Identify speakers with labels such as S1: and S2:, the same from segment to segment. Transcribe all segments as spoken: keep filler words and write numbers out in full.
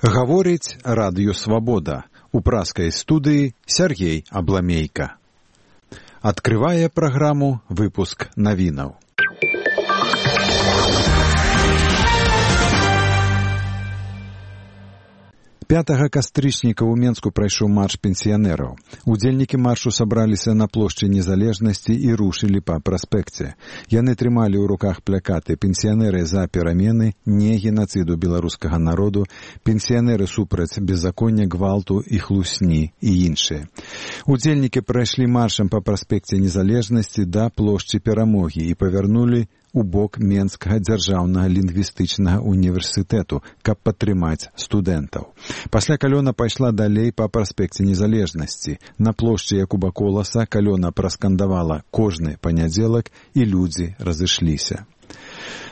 S1: Гаворыць радыё «Свабода». У пражскай студыі Сергей Абламейка. Адкрывае праграму выпуск навінаў. пятага кастрычніка ў Менску прайшоў марш пенсіянераў. Удзельнікі маршу сабраліся на плошчы Незалежнасці і рушылі па праспекце. Яны трымалі ў руках плакаты «Пенсіянеры за перамены», «Не генацыду беларускага народу», «Пенсіянеры супраць беззаконня, гвалту і хлусні» і іншыя. Удзельнікі прайшлі маршам па праспекце Незалежнасці да плошчы Перамогі і павярнулі у бок Менскага дзяржаўнага лінгвістычнага універсітэту, каб падтрымаць студэнтаў. Пасля калёна пайшла далей па праспекце Незалежнасці. На плошчы Якуба Коласа калёна праскандавала «Кожны панядзелак» і людзі разышліся.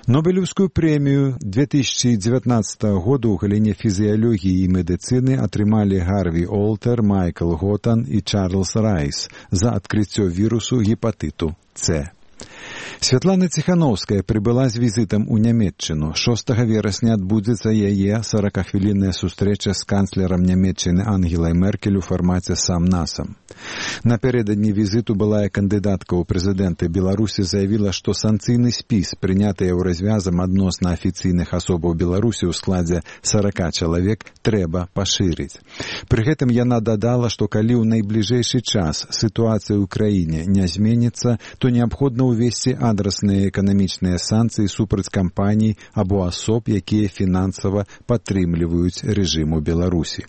S1: Нобелеўскую прэмію две тысячи девятнадцатого году ў галіне фізіялогіі і медыцыны атрымалі Гарві Олтер, Майкл Готан і Чарльз Райс за адкрыццё вірусу гепатыту С. Святлана Ціхановская прыбыла з візітам у Нямецчыну. шостага верасня адбудзецца яе сорокахвілінная сустрэча з канцлерам Нямецчыны Ангелай Меркель у фармаце сам-насам. Напярэдадні візіту былая кандыдатка ў прэзідэнты Беларусі заявіла, што санкцыйны спіс, прыняты еўразвязам адносна афіцыйных асобаў Беларусі ў складзе сорока чалавек, трэба пашырыць. Пры гэтым яна дадала, што калі ў найбліжэйшы час сітуацыя ў краіне не зменіцца, то неабходна ўвесці адрасныя эканамічныя санкцыі супраць кампаній або асоб, якія фінансава падтрымліваюць рэжым у Беларусі.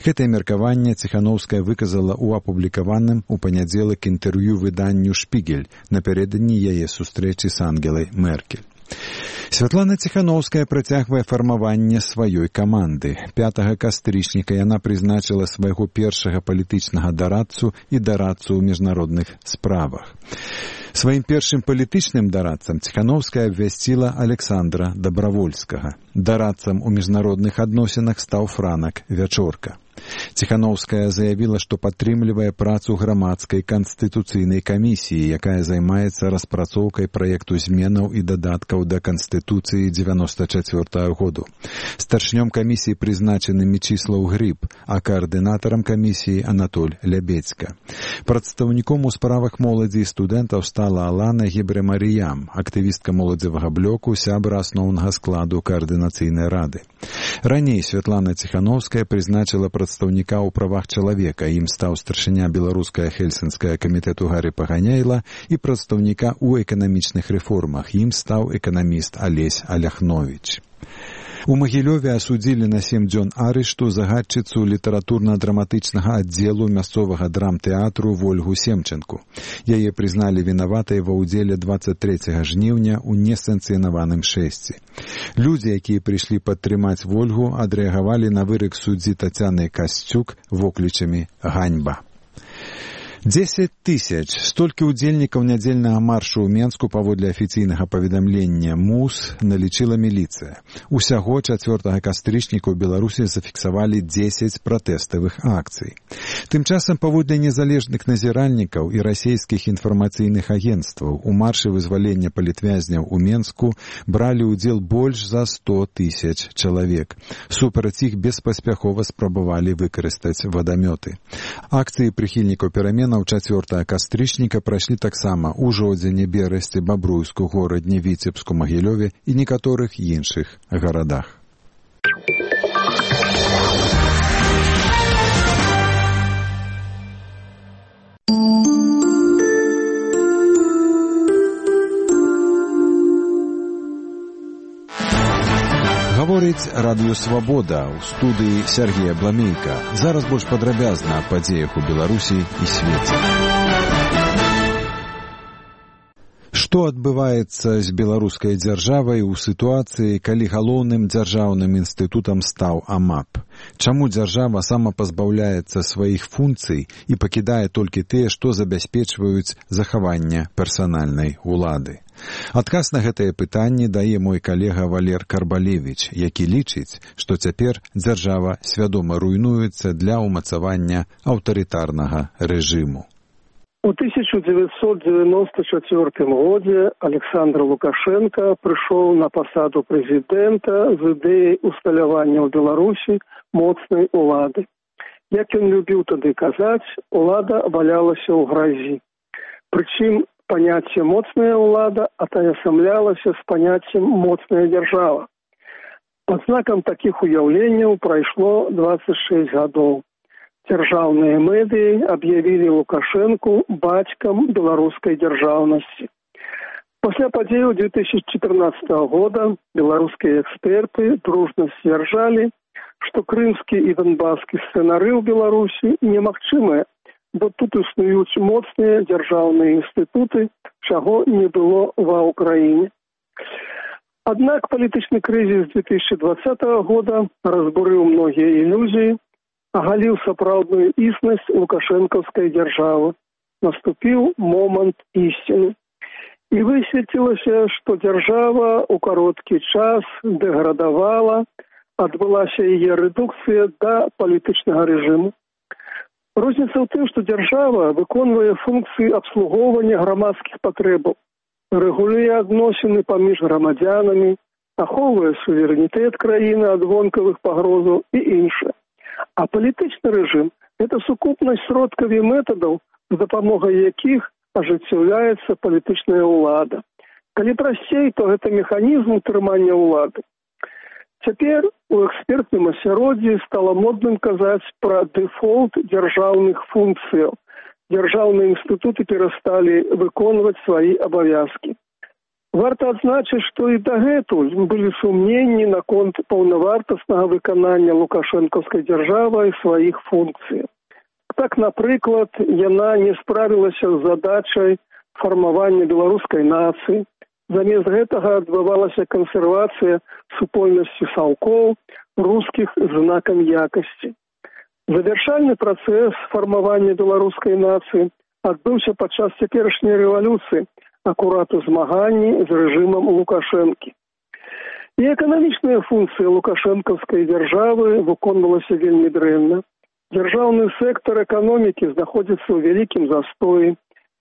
S1: Гэтае меркаванне Ціхановская выказала ў апублікаваным у панядзелак інтэрв'ю выданню «Шпігель» напярэдадні яе сустрэчы з Ангелай Меркель. Святлана Ціхановская працягвае фармаванне сваёй каманды. пятага кастрычніка яна прызначыла свайго першага палітычнага дарадцу і дарадцу ў міжнародных справах. Сваім першым палітычным дарадцам Ціхановская абвясціла Александра Дабравольскага. Дарадцам у міжнародных адносінах стаў Франак Вячорка. Ціхановская заявіла, што падтрымлівае працу грамадскай канстытуцыйнай камісіі, якая займаецца распрацоўкай праекту зменаў і дадаткаў да Канстытуцыі дзевяносто чацвёртага году. Старшынём камісіі прызначаны Мечыслаў Грыб, а каардынатарам камісіі Анатоль Лябедзька. Прадстаўніком у справах моладзі і студэнтаў стала Алана Гебрэмаріям, актывістка моладзевага блоку, сябра асноўнага складу каардынацыйнай рады. Раней Святлана Ціхановская прызначыла прадстаўніка ў правах чалавека, ім стаў старшыня беларуская хельсінская камітэту Гарі Паганяйла, і прадстаўніка ў эканамічных рэформах, ім стаў эканаміст Алесь Аляхновіч. У Магілёве асудзілі на сем дзён арышту загадчыцу літаратурна-драматычнага аддзелу мясцовага драмтэатру Вольгу Семченку. Яе прызналі вінаватай ва ўдзеле дваццаць трэцяга жніўня ў несанкцыянаваным шэсці. Людзі, якія прыйшлі падтрымаць Вольгу, адрэагавалі на вырак суддзі Тацяны Касцюк воклічамі «Ганьба». дзесяць тысяч. Столькі ўдзельнікаў нядзельнага маршу ў Менску паводле афіцыйнага паведамлення МУС налічыла міліцыя. Усяго чацвёртага кастрычніка ў Беларусі зафіксавалі дзесяць пратэставых акцый. Тым часам паводле незалежных назіральнікаў і расійскіх інфармацыйных агенцтваў у маршы вызвалення палітвязняў у Менску бралі ўдзел больш за сто тысяч чалавек. Супраць іх беспаспяхова спрабавалі выкарыстаць вадамёты. Акцыі прыхільнікаў перамен у чацвёртага кастрычніка прайшлі таксама ў Жодзіне, Берасці, Бабруйску, Горадні, Віцебску, Магілёве і некаторых іншых гарадах. Гаворыць радыё «Свабода», у студыі Сергей Абламейка. Зараз больш падрабязна аб падзеях у Беларусі і свеце. Што адбываецца з беларускай дзяржавай у сітуацыі, калі галоўным дзяржаўным інстытутам стаў АМАП? Чаму дзяржава самапазбаўляецца сваіх функцый і пакідае толькі тыя, што забяспечваюць захаванне персанальнай улады? Адказ на гэтае пытанне дае мой калега Валер Карбалевіч, які лічыць, што цяпер дзяржава свядома руйнуецца для ўмацавання аўтарытарнага рэжыму.
S2: У тысяча девятьсот девяносто четвёртым годзе Александр Лукашенко прыйшоў на пасаду прэзідэнта з ідэяй усталявання ў Беларусі моцнай улады. Як ён любіў тады казаць, улада валялася ў гразі. Прычым паняцце «моцная ўлада» атаясамлялася з паняццем «моцная дзяржава». Пад знакам такіх уяўленняў прайшло дваццаць шэсць гадоў. Дзяржаўныя медыі аб'явілі Лукашэнку бацькам беларускай дзяржаўнасці. Пасля падзеяў две тысячи четырнадцатого года беларускія эксперты дружна сцвярджалі, што крымскі і донбаскі сцэнары ў Беларусі немагчымыя, бо тут існуюць моцныя дзяржаўныя інстытуты, чаго не было ва ўкраіне. Аднак палітычны крызіс две тысячи двадцатого года разбурыў многія ілюзіі, агаліў сапраўдную існасць лукашэнкаўскай дзяржавы. Наступіў момант ісціны. І высветлілася, што дзяржава ў кароткі час дэградавала, адбылася яе рэдукцыя да палітычнага рэжыму. Розніца ў тым, што дзяржава выконвае функцыі абслугоўвання грамадскіх патрэбаў, рэгулюе адносіны паміж грамадзянамі, ахоўвае суверэнітэт краіны ад вонкавых пагрозаў і іншае. А палітычны рэжым – гэта сукупнасць сродкаў і метадаў, з дапамогай якіх ажыццяўляецца палітычная ўлада. Калі прасцей, то гэта механізм утрымання ўлады. Цяпер у экспертным асяроддзі стала модным казаць пра дэфолт дзяржаўных функцыяў. Дзяржаўныя інстытуты перасталі выконваць свае абавязкі. Варта адзначыць, што і дагэтуль былі сумненні наконт паўнавартаснага выканання лукашэнкаўскай дзяржавай сваіх функцый. Так, напрыклад, яна не справілася з задачай фармавання беларускай нацыі. Замест гэтага адбывалася кансервацыя супольнасці саўкоў, рускіх знакам якасці. Завяршальны працэс фармавання беларускай нацыі адбыўся падчас цяперашняй рэвалюцыі, акурат у змаганні з рэжымам Лукашэнкі. І эканамічная функцыя лукашэнкаўскай дзяржавы выконвалася вельмі дрэнна. Дзяржаўны сектар эканомікі знаходзіцца ў вялікім застоі.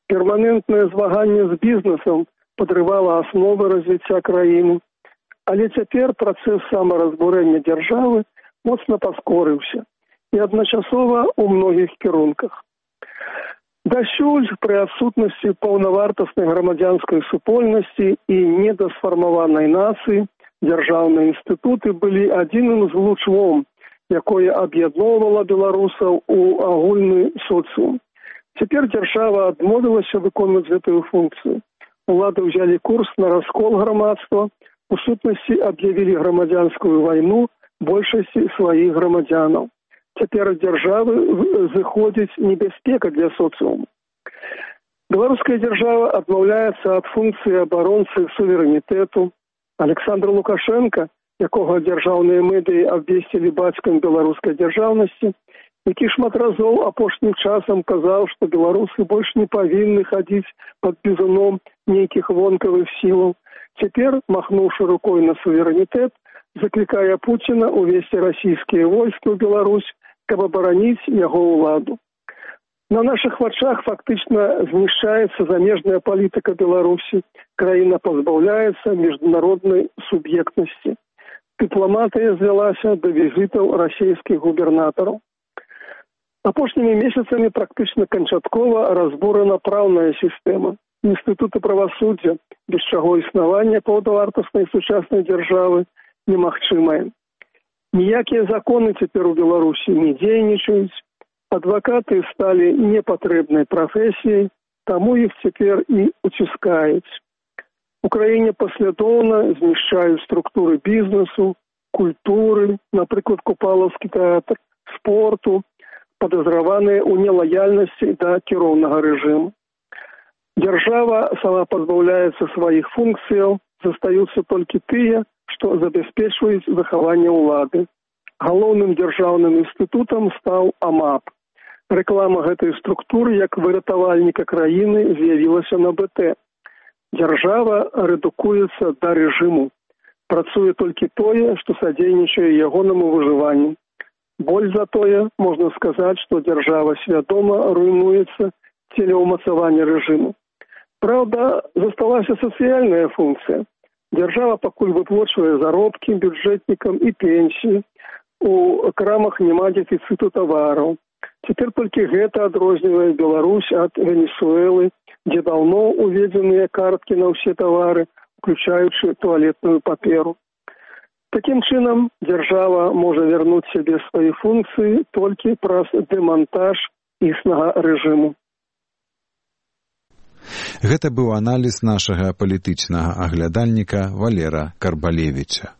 S2: Перманентнае змаганне з бізнесам падрывала асновы развіцця краіны. Але цяпер працэс самаразбурэння дзяржавы моцна паскорыўся і адначасова ў многіх кірунках. Дасюль пры адсутнасці паўнавартаснай грамадзянскай супольнасці і недасфармаванай нацыі дзяржаўныя інстытуты былі адзіным злучвом, якое аб'ядноўвала беларусаў у агульны соцыум. Цяпер дзяржава адмовілася выконваць гэтую функцыю. Улады ўзялі курс на раскол грамадства, у сутнасці аб'явілі грамадзянскую вайну большасці сваіх грамадзянаў. Цяпер ад дзяржавы зыходзіць небяспека для соцыуму. Беларуская дзяржава адмаўляецца ад функцыі абаронцы суверэнітэту. Александр Лукашенко, якога дзяржаўныя медыі абвесцілі бацькам беларускай дзяржаўнасці, які шмат разоў апошнім часам казаў, што беларусы больш не павінны хадзіць пад бізуном нейкіх вонкавых сілаў. Цяпер, махнуўшы рукой на суверэнітэт, заклікае Пуціна увесці расійскія войскі ў Беларусь, каб абараніць яго ўладу. На нашых вачах фактычна знішчаецца замежная палітыка Беларусі, краіна пазбаўляецца міжнароднай суб'ектнасці. Дыпламатыя звялася да візітаў расійскіх губернатараў. Апошнімі месяцамі практычна канчаткова разбурана праўная сістэма. Інстытуты правасуддзя, без чаго існаванне паўнавартаснай сучаснай дзяржавы немагчымае. Ніякія законы цяпер у Беларусі не дзейнічаюць, адвакаты сталі непатрэбнай прафесіяй, таму іх цяпер і уціскаюць. У краіне паслядоўна знішчаюць структуры бізнесу, культуры, напрыклад, Купалаўскі тэатр, спорту, падазраваныя ў нелаяльнасці да кіроўнага рэжыму. Дзяржава сама пазбаўляецца сваіх функцыяў, застаюцца толькі тыя, што забяспечваюць захаванне ўлады. Галоўным дзяржаўным інстытутам стаў АМАП. Рэклама гэтай структуры як выратавальніка краіны з'явілася на БТ. Дзяржава рэдукуецца да рэжыму. Працуе толькі тое, што садзейнічае ягонаму выжыванню. Боль за тое, можна сказаць, што дзяржава свядома руйнуецца целеўмацавання рэжыму. Праўда, засталася сацыяльная функцыя. Дзяржава пакуль выплачвае заробкі бюджэтнікам і пенсіі. У крамах няма дэфіцыту тавараў. Цяпер толькі гэта адрознівае Беларусь ад Венесуэлы, дзе даўно уведзеныя карткі на ўсе тавары, включаючы туалетную паперу. Такім чынам, дзяржава можа вярнуць сябе свае функцыі толькі праз дэмантаж існага рэжыму.
S1: Гэта быў аналіз нашага палітычнага аглядальніка Валера Карбалевіча.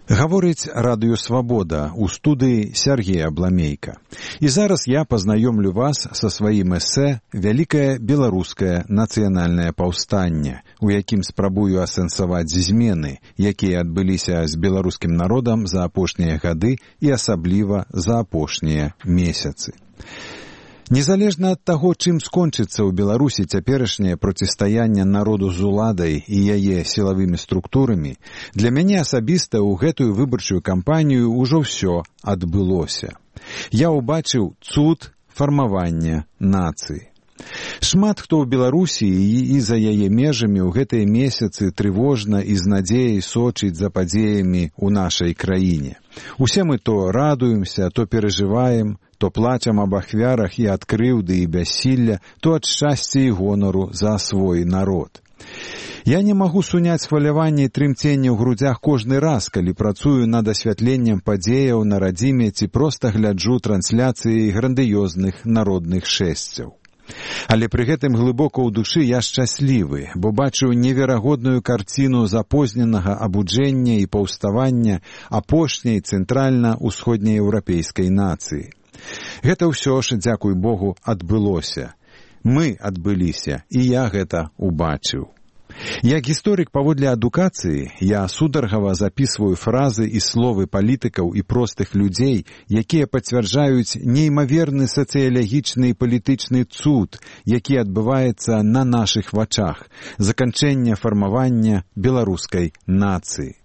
S1: Гаворыць Радыё Свабода, у студыі Сергей Абламейка. І зараз я пазнаёмлю вас са сваім эсэ «Вялікае беларускае нацыянальнае паўстанне», у якім спрабую асэнсаваць змены, якія адбыліся з беларускім народам за апошнія гады і асабліва за апошнія месяцы. Незалежна ад таго, чым скончыцца ў Беларусі цяперашняе процістаянне народу з уладай і яе сілавымі структурамі, для мяне асабіста ў гэтую выбарчую кампанію ўжо ўсё адбылося. Я ўбачыў цуд фармавання нацыі. Шмат хто ў Беларусі і за яе межамі ў гэтыя месяцы трывожна і з надзеяй сочыць за падзеямі ў нашай краіне. Усе мы то радуемся, то перажываем, то плачам аб ахвярах і ад крыўды і бяссілля, то ад шчасця і гонару за свой народ. Я не магу суняць хваляванне і трымценне ў грудзях кожны раз, калі працую над асвятленнем падзеяў на радзіме ці проста гляджу трансляцыі грандыёзных народных шэсцяў. Але пры гэтым глыбока ў душы я шчаслівы, бо бачу неверагодную карціну запозненага абуджэння і паўставання апошняй цэнтральна-ўсходнееўрапейскай нацыі. Гэта ўсё ж, дзякуй Богу, адбылося. Мы адбыліся, і я гэта убачыў. Як гісторык паводле адукацыі, я сударгава запісваю фразы і словы палітыкаў і простых людзей, якія пацвярджаюць неймаверны сацыялагічны і палітычны цуд, які адбываецца на нашых вачах, заканчэнне фармавання беларускай нацыі.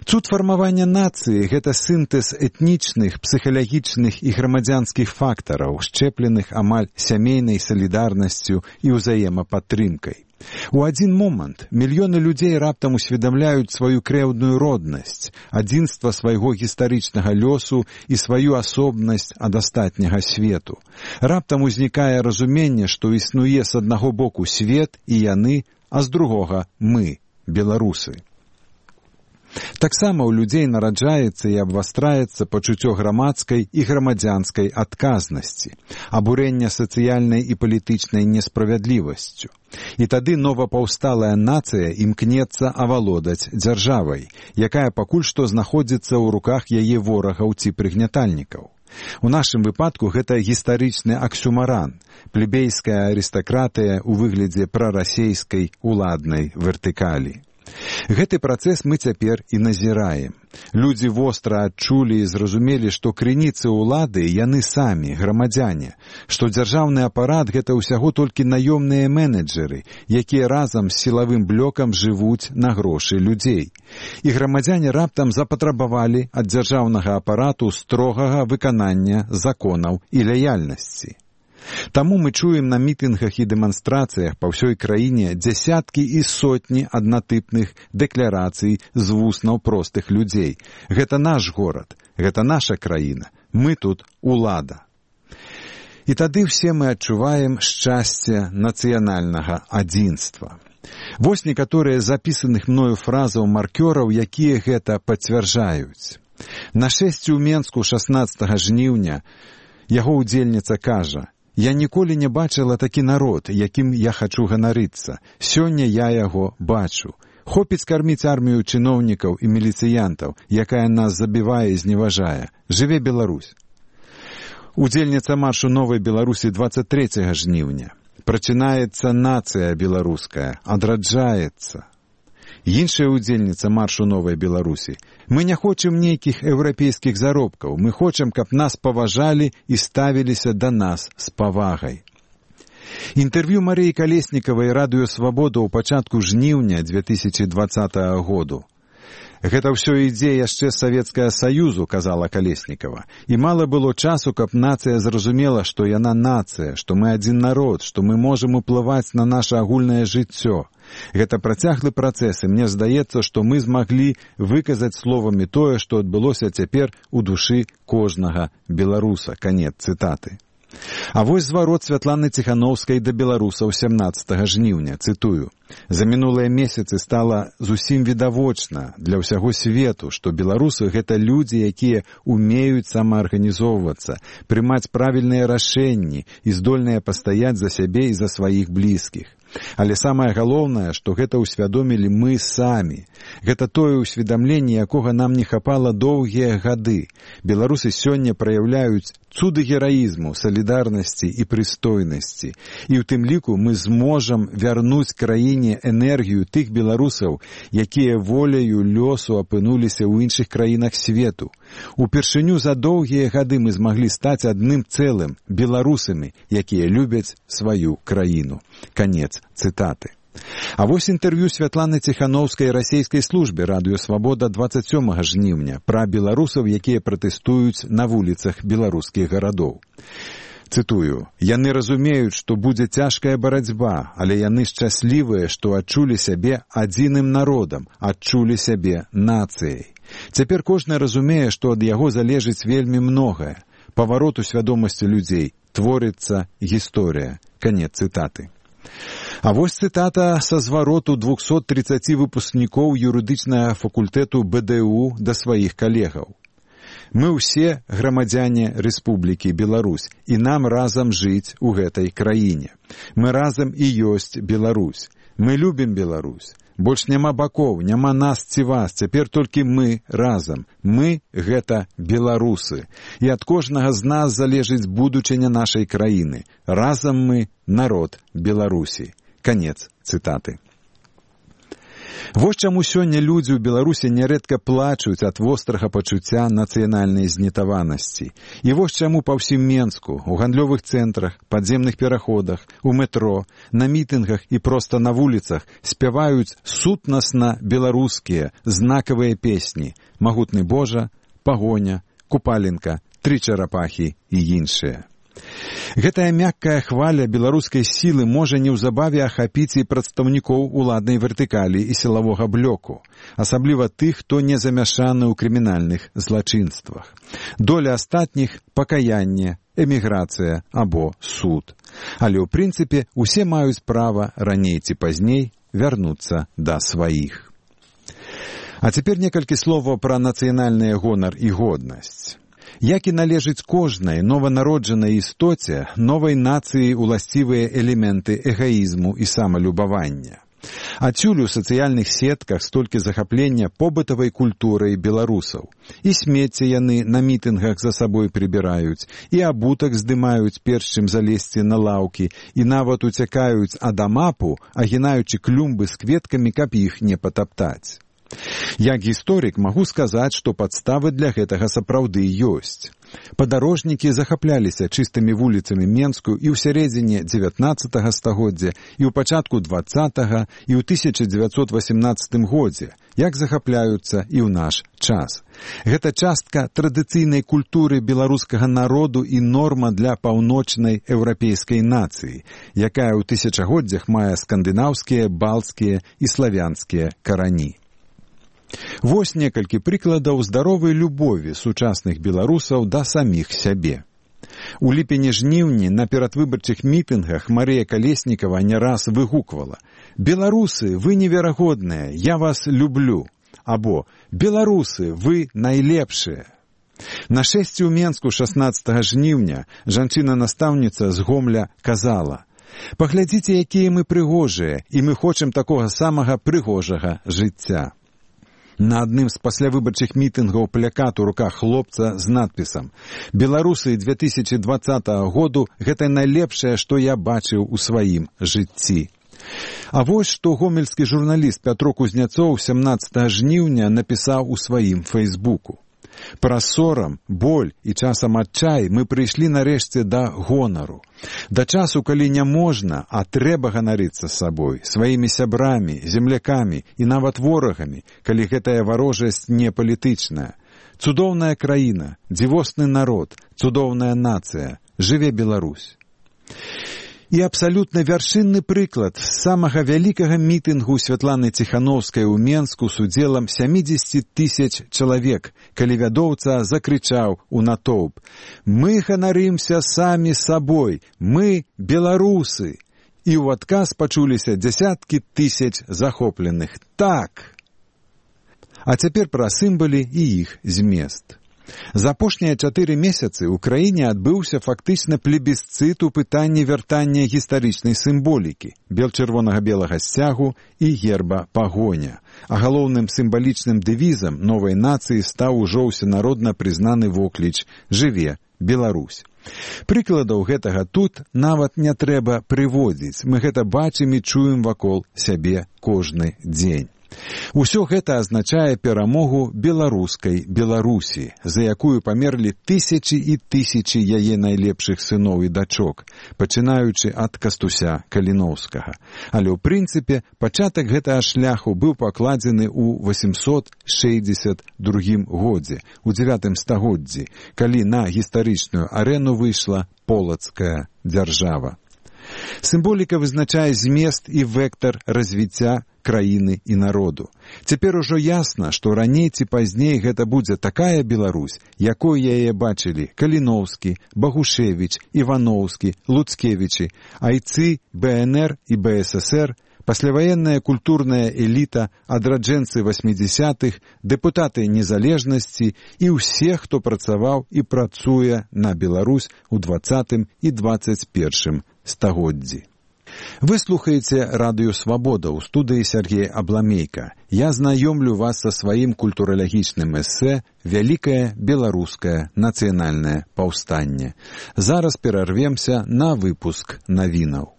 S1: Цуд фармавання нацыі – гэта сінтэз этнічных, псіхалагічных і грамадзянскіх фактараў, счэпленых амаль сямейнай салідарнасцю і ўзаемападтрымкай. У адзін момант мільёны людзей раптам усведамляюць сваю крэўдную роднасць, адзінства свайго гістарычнага лёсу і сваю асобнасць ад астатняга свету. Раптам узнікае разуменне, што існуе з аднаго боку свет і яны, а з другога мы, беларусы. Таксама ў людзей нараджаецца і абвастраецца пачуццё грамадскай і грамадзянскай адказнасці, абурэння сацыяльнай і палітычнай несправядлівасцю. І тады новапаўсталая нацыя імкнецца авалодаць дзяржавай, якая пакуль што знаходзіцца ў руках яе ворагаў ці прыгнятальнікаў. У нашым выпадку гэта гістарычны аксюмаран, плебейская арыстакратыя ў выглядзе прарасейскай уладнай вертыкалі. Гэты працэс мы цяпер і назіраем. Людзі востра адчулі і зразумелі, што крыніцы ўлады яны самі, грамадзяне, што дзяржаўны апарат гэта ўсяго толькі наёмныя менеджеры, якія разам з сілавым блокам жывуць на грошы людзей. І грамадзяне раптам запатрабавалі ад дзяржаўнага апарату строгага выканання законаў і лаяльнасці. Таму мы чуем на мітынгах і дэманстрацыях па ўсёй краіне дзясяткі і сотні аднатыпных дэкларацый з вуснаў простых людзей. Гэта наш горад, гэта наша краіна, мы тут улада. І тады все мы адчуваем шчасце нацыянальнага адзінства. Вось некаторыя запісаных мною фразаў маркёраў, якія гэта пацвярджаюць. На шэсці ў Менску шаснаццатага жніўня яго ўдзельніца кажа: «Я ніколі не бачыла такі народ, якім я хачу ганарыцца. Сёння я яго бачу. Хопіць карміць армію чыноўнікаў і міліцыянтаў, якая нас забівае і зневажае. Жыве Беларусь». Удзельніца маршу Новай Беларусі дваццаць трэцяга жніўня. Прачынаецца нацыя беларуская, адраджаецца. Іншая удзельніца маршу Новай Беларусі: «Мы не хочам нейкіх еўрапейскіх заробкаў, мы хочам, каб нас паважалі і ставіліся да нас з павагай». Інтэрв'ю Марыі Калеснікавай радыё «Свабода» ў пачатку жніўня две тысячи двадцатага году. «Гэта ўсё ідзе яшчэ з Савецкага Саюзу», казала Калеснікава. «І мала было часу, каб нацыя зразумела, што яна нацыя, што мы адзін народ, што мы можам уплываць на наша агульнае жыццё. Гэта працяглы працэс, і мне здаецца, што мы змаглі выказаць словамі тое, што адбылося цяпер у душы кожнага беларуса». Канец цытаты. А вось зварот Святланы Ціхановскай да беларусаў сямнаццатага жніўня, цытую. «За мінулыя месяцы стала зусім відавочна для ўсяго свету, што беларусы — гэта людзі, якія умеюць самаарганізоўвацца, прымаць правільныя рашэнні і здольныя пастаяць за сябе і за сваіх блізкіх. Але самае галоўнае, што гэта ўсвядомілі мы самі. Гэта тое ўсведамленне, якога нам не хапала доўгія гады. Беларусы сёння праяўляюць цуды гераізму, салідарнасці і прыстойнасці. І ў тым ліку мы зможам вярнуць краіне энергію тых беларусаў, якія воляю лёсу апынуліся ў іншых краінах свету. Упершыню за доўгія гады мы змаглі стаць адным цэлым, беларусамі, якія любяць сваю краіну». Канец цытаты. А вось інтэрв'ю Святланы Ціхановскай расійскай службе радыё «Свабода» дваццаць сёмага жніўня пра беларусаў, якія пратэстуюць на вуліцах беларускіх гарадоў. Цытую. «Яны разумеюць, што будзе цяжкая барацьба, але яны шчаслівыя, што адчулі сябе адзіным народам, адчулі сябе нацыяй. Цяпер кожны разумее, што ад яго залежыць вельмі многае. Паварот у свядомасці людзей, творыцца гісторыя». Канец цытаты. А вось цытата са звароту двухсот тридцати выпускнікоў юрыдычнага факультэту бэ дэ у да сваіх калегаў. «Мы ўсе грамадзяне Рэспублікі Беларусь, і нам разам жыць у гэтай краіне. Мы разам і ёсць Беларусь. Мы любім Беларусь. Больш няма бакоў, няма нас ці вас, цяпер толькі мы разам. Мы — гэта беларусы. І ад кожнага з нас залежыць будучыня нашай краіны. Разам мы — народ Беларусі». Канец цытаты. Вось чаму сёння людзі ў Беларусі нярэдка плачуць ад вострага пачуцця нацыянальнай знітаванасці. І вось чаму па ўсім Менску, у гандлёвых цэнтрах, падземных пераходах, у метро, на мітынгах і проста на вуліцах спяваюць сутнасна беларускія знакавыя песні «Магутны Божа», «Пагоня», «Купаленка», «Тры чарапахі» і іншыя. Гэтая мяккая хваля беларускай сілы можа неўзабаве ахапіць і прадстаўнікоў уладнай вертыкалі і сілавога блоку, асабліва тых, хто не замяшаны ў крымінальных злачынствах. Доля астатніх — пакаянне, эміграцыя або суд. Але ў прынцыпе усе маюць права раней ці пазней вярнуцца да сваіх. А цяпер некалькі словаў пра нацыянальны гонар і годнасць. Як і належыць кожнай нованароджанай істоце, новай нацыі уласцівыя элементы эгаізму і самалюбавання. Адсюль у сацыяльных сетках столькі захаплення побытавай культурай беларусаў. І смецце яны на мітынгах за сабой прыбіраюць, і абутак здымаюць перш чым залезці на лаўкі, і нават уцякаюць ад амапу, агінаючы клумбы з кветкамі, каб іх не патаптаць. Як гісторык магу сказаць, што падставы для гэтага сапраўды ёсць. Падарожнікі захапляліся чыстымі вуліцамі Менску і ў сярэдзіне дзевятнаццатага стагоддзя, і ў пачатку дваццатага, і ў тысяча дзевяцьсот васемнаццатым годзе, як захапляюцца і ў наш час. Гэта частка традыцыйнай культуры беларускага народу і норма для паўночнай еўрапейскай нацыі, якая ў тысячагоддзях мае скандынаўскія, балцкія і славянскія карані. Вось некалькі прыкладаў здаровай любові сучасных беларусаў да саміх сябе. У ліпені-жніўні на перадвыбарчых мітынгах Марыя Калеснікава не раз выгуквала: «Беларусы, вы неверагодныя, я вас люблю!» або «Беларусы, вы найлепшыя!» На шэсці ў Менску шаснаццатага жніўня жанчына-настаўніца з Гомля казала: «Паглядзіце, якія мы прыгожыя, і мы хочам такога самага прыгожага жыцця». На адным з паслявыбарчых мітынгаў плакат у руках хлопца з надпісам «Беларусы две тысячи двадцатага году – гэта найлепшае, што я бачыў у сваім жыцці». А вось што гомельскі журналіст Пятро Кузняцоў сямнаццатага жніўня напісаў у сваім фэйсбуку. Праз сорам, боль і часам адчай мы прыйшлі нарэшце да гонару. Да часу, калі не можна, а трэба ганарыцца сабой, сваімі сябрамі, землякамі і нават ворагамі, калі гэтая варожасць не палітычная. Цудоўная краіна, дзівосны народ, цудоўная нацыя. Жыве Беларусь. І абсалютна вяршынны прыклад самага вялікага мітынгу Святланы Ціханаўскай у Менску з удзелам сямідзесят тысяч чалавек, калі вядоўца закрычаў у натоўп: «Мы ганарымся самі сабой, мы беларусы!» І ў адказ пачуліся дзясяткі тысяч захопленых. Так! А цяпер пра сімвалы і іх змест. За апошнія чатыры месяцы ў краіне адбыўся фактычна плебісцыт у пытанні вяртання гістарычнай сімволікі, бел-чырвонага-белага сцягу і герба пагоня. А галоўным сімвалічным дэвізам новай нацыі стаў ужо ўсенародна прызнаны вокліч «Жыве Беларусь». Прыкладаў гэтага тут нават не трэба прыводзіць, мы гэта бачым і чуем вакол сябе кожны дзень. Усё гэта азначае перамогу беларускай Беларусі, за якую памерлі тысячы і тысячы яе найлепшых сыноў і дачок, пачынаючы ад Кастуся Каліноўскага. Але ў прынцыпе пачатак гэтага шляху быў пакладзены ў восемсот шэсцьдзесят другім годзе, у дзевятым стагоддзі, калі на гістарычную арэну выйшла полацкая дзяржава. Сімволіка вызначае змест і вектар развіцця краіны і народу. Цяпер ужо ясна, што раней ці пазней гэта будзе такая Беларусь, якой яе бачылі Каліноўскі, Багушевіч, Іваноўскі, Луцкевічы, айцы бэ эн эр і бэ эс эс эр, пасляваенная культурная эліта, адраджэнцы васьмідзясятых, дэпутаты незалежнасці і ўсе, хто працаваў і працуе на Беларусь у дваццатым і дваццаць першым стагоддзі. Вы слухаеце радыё «Свабода» ў студыі Сергей Абламейка. Я знаёмлю вас са сваім культуралагічным эсэ «Вялікае беларускае нацыянальнае паўстанне». Зараз перарвемся на выпуск навінаў.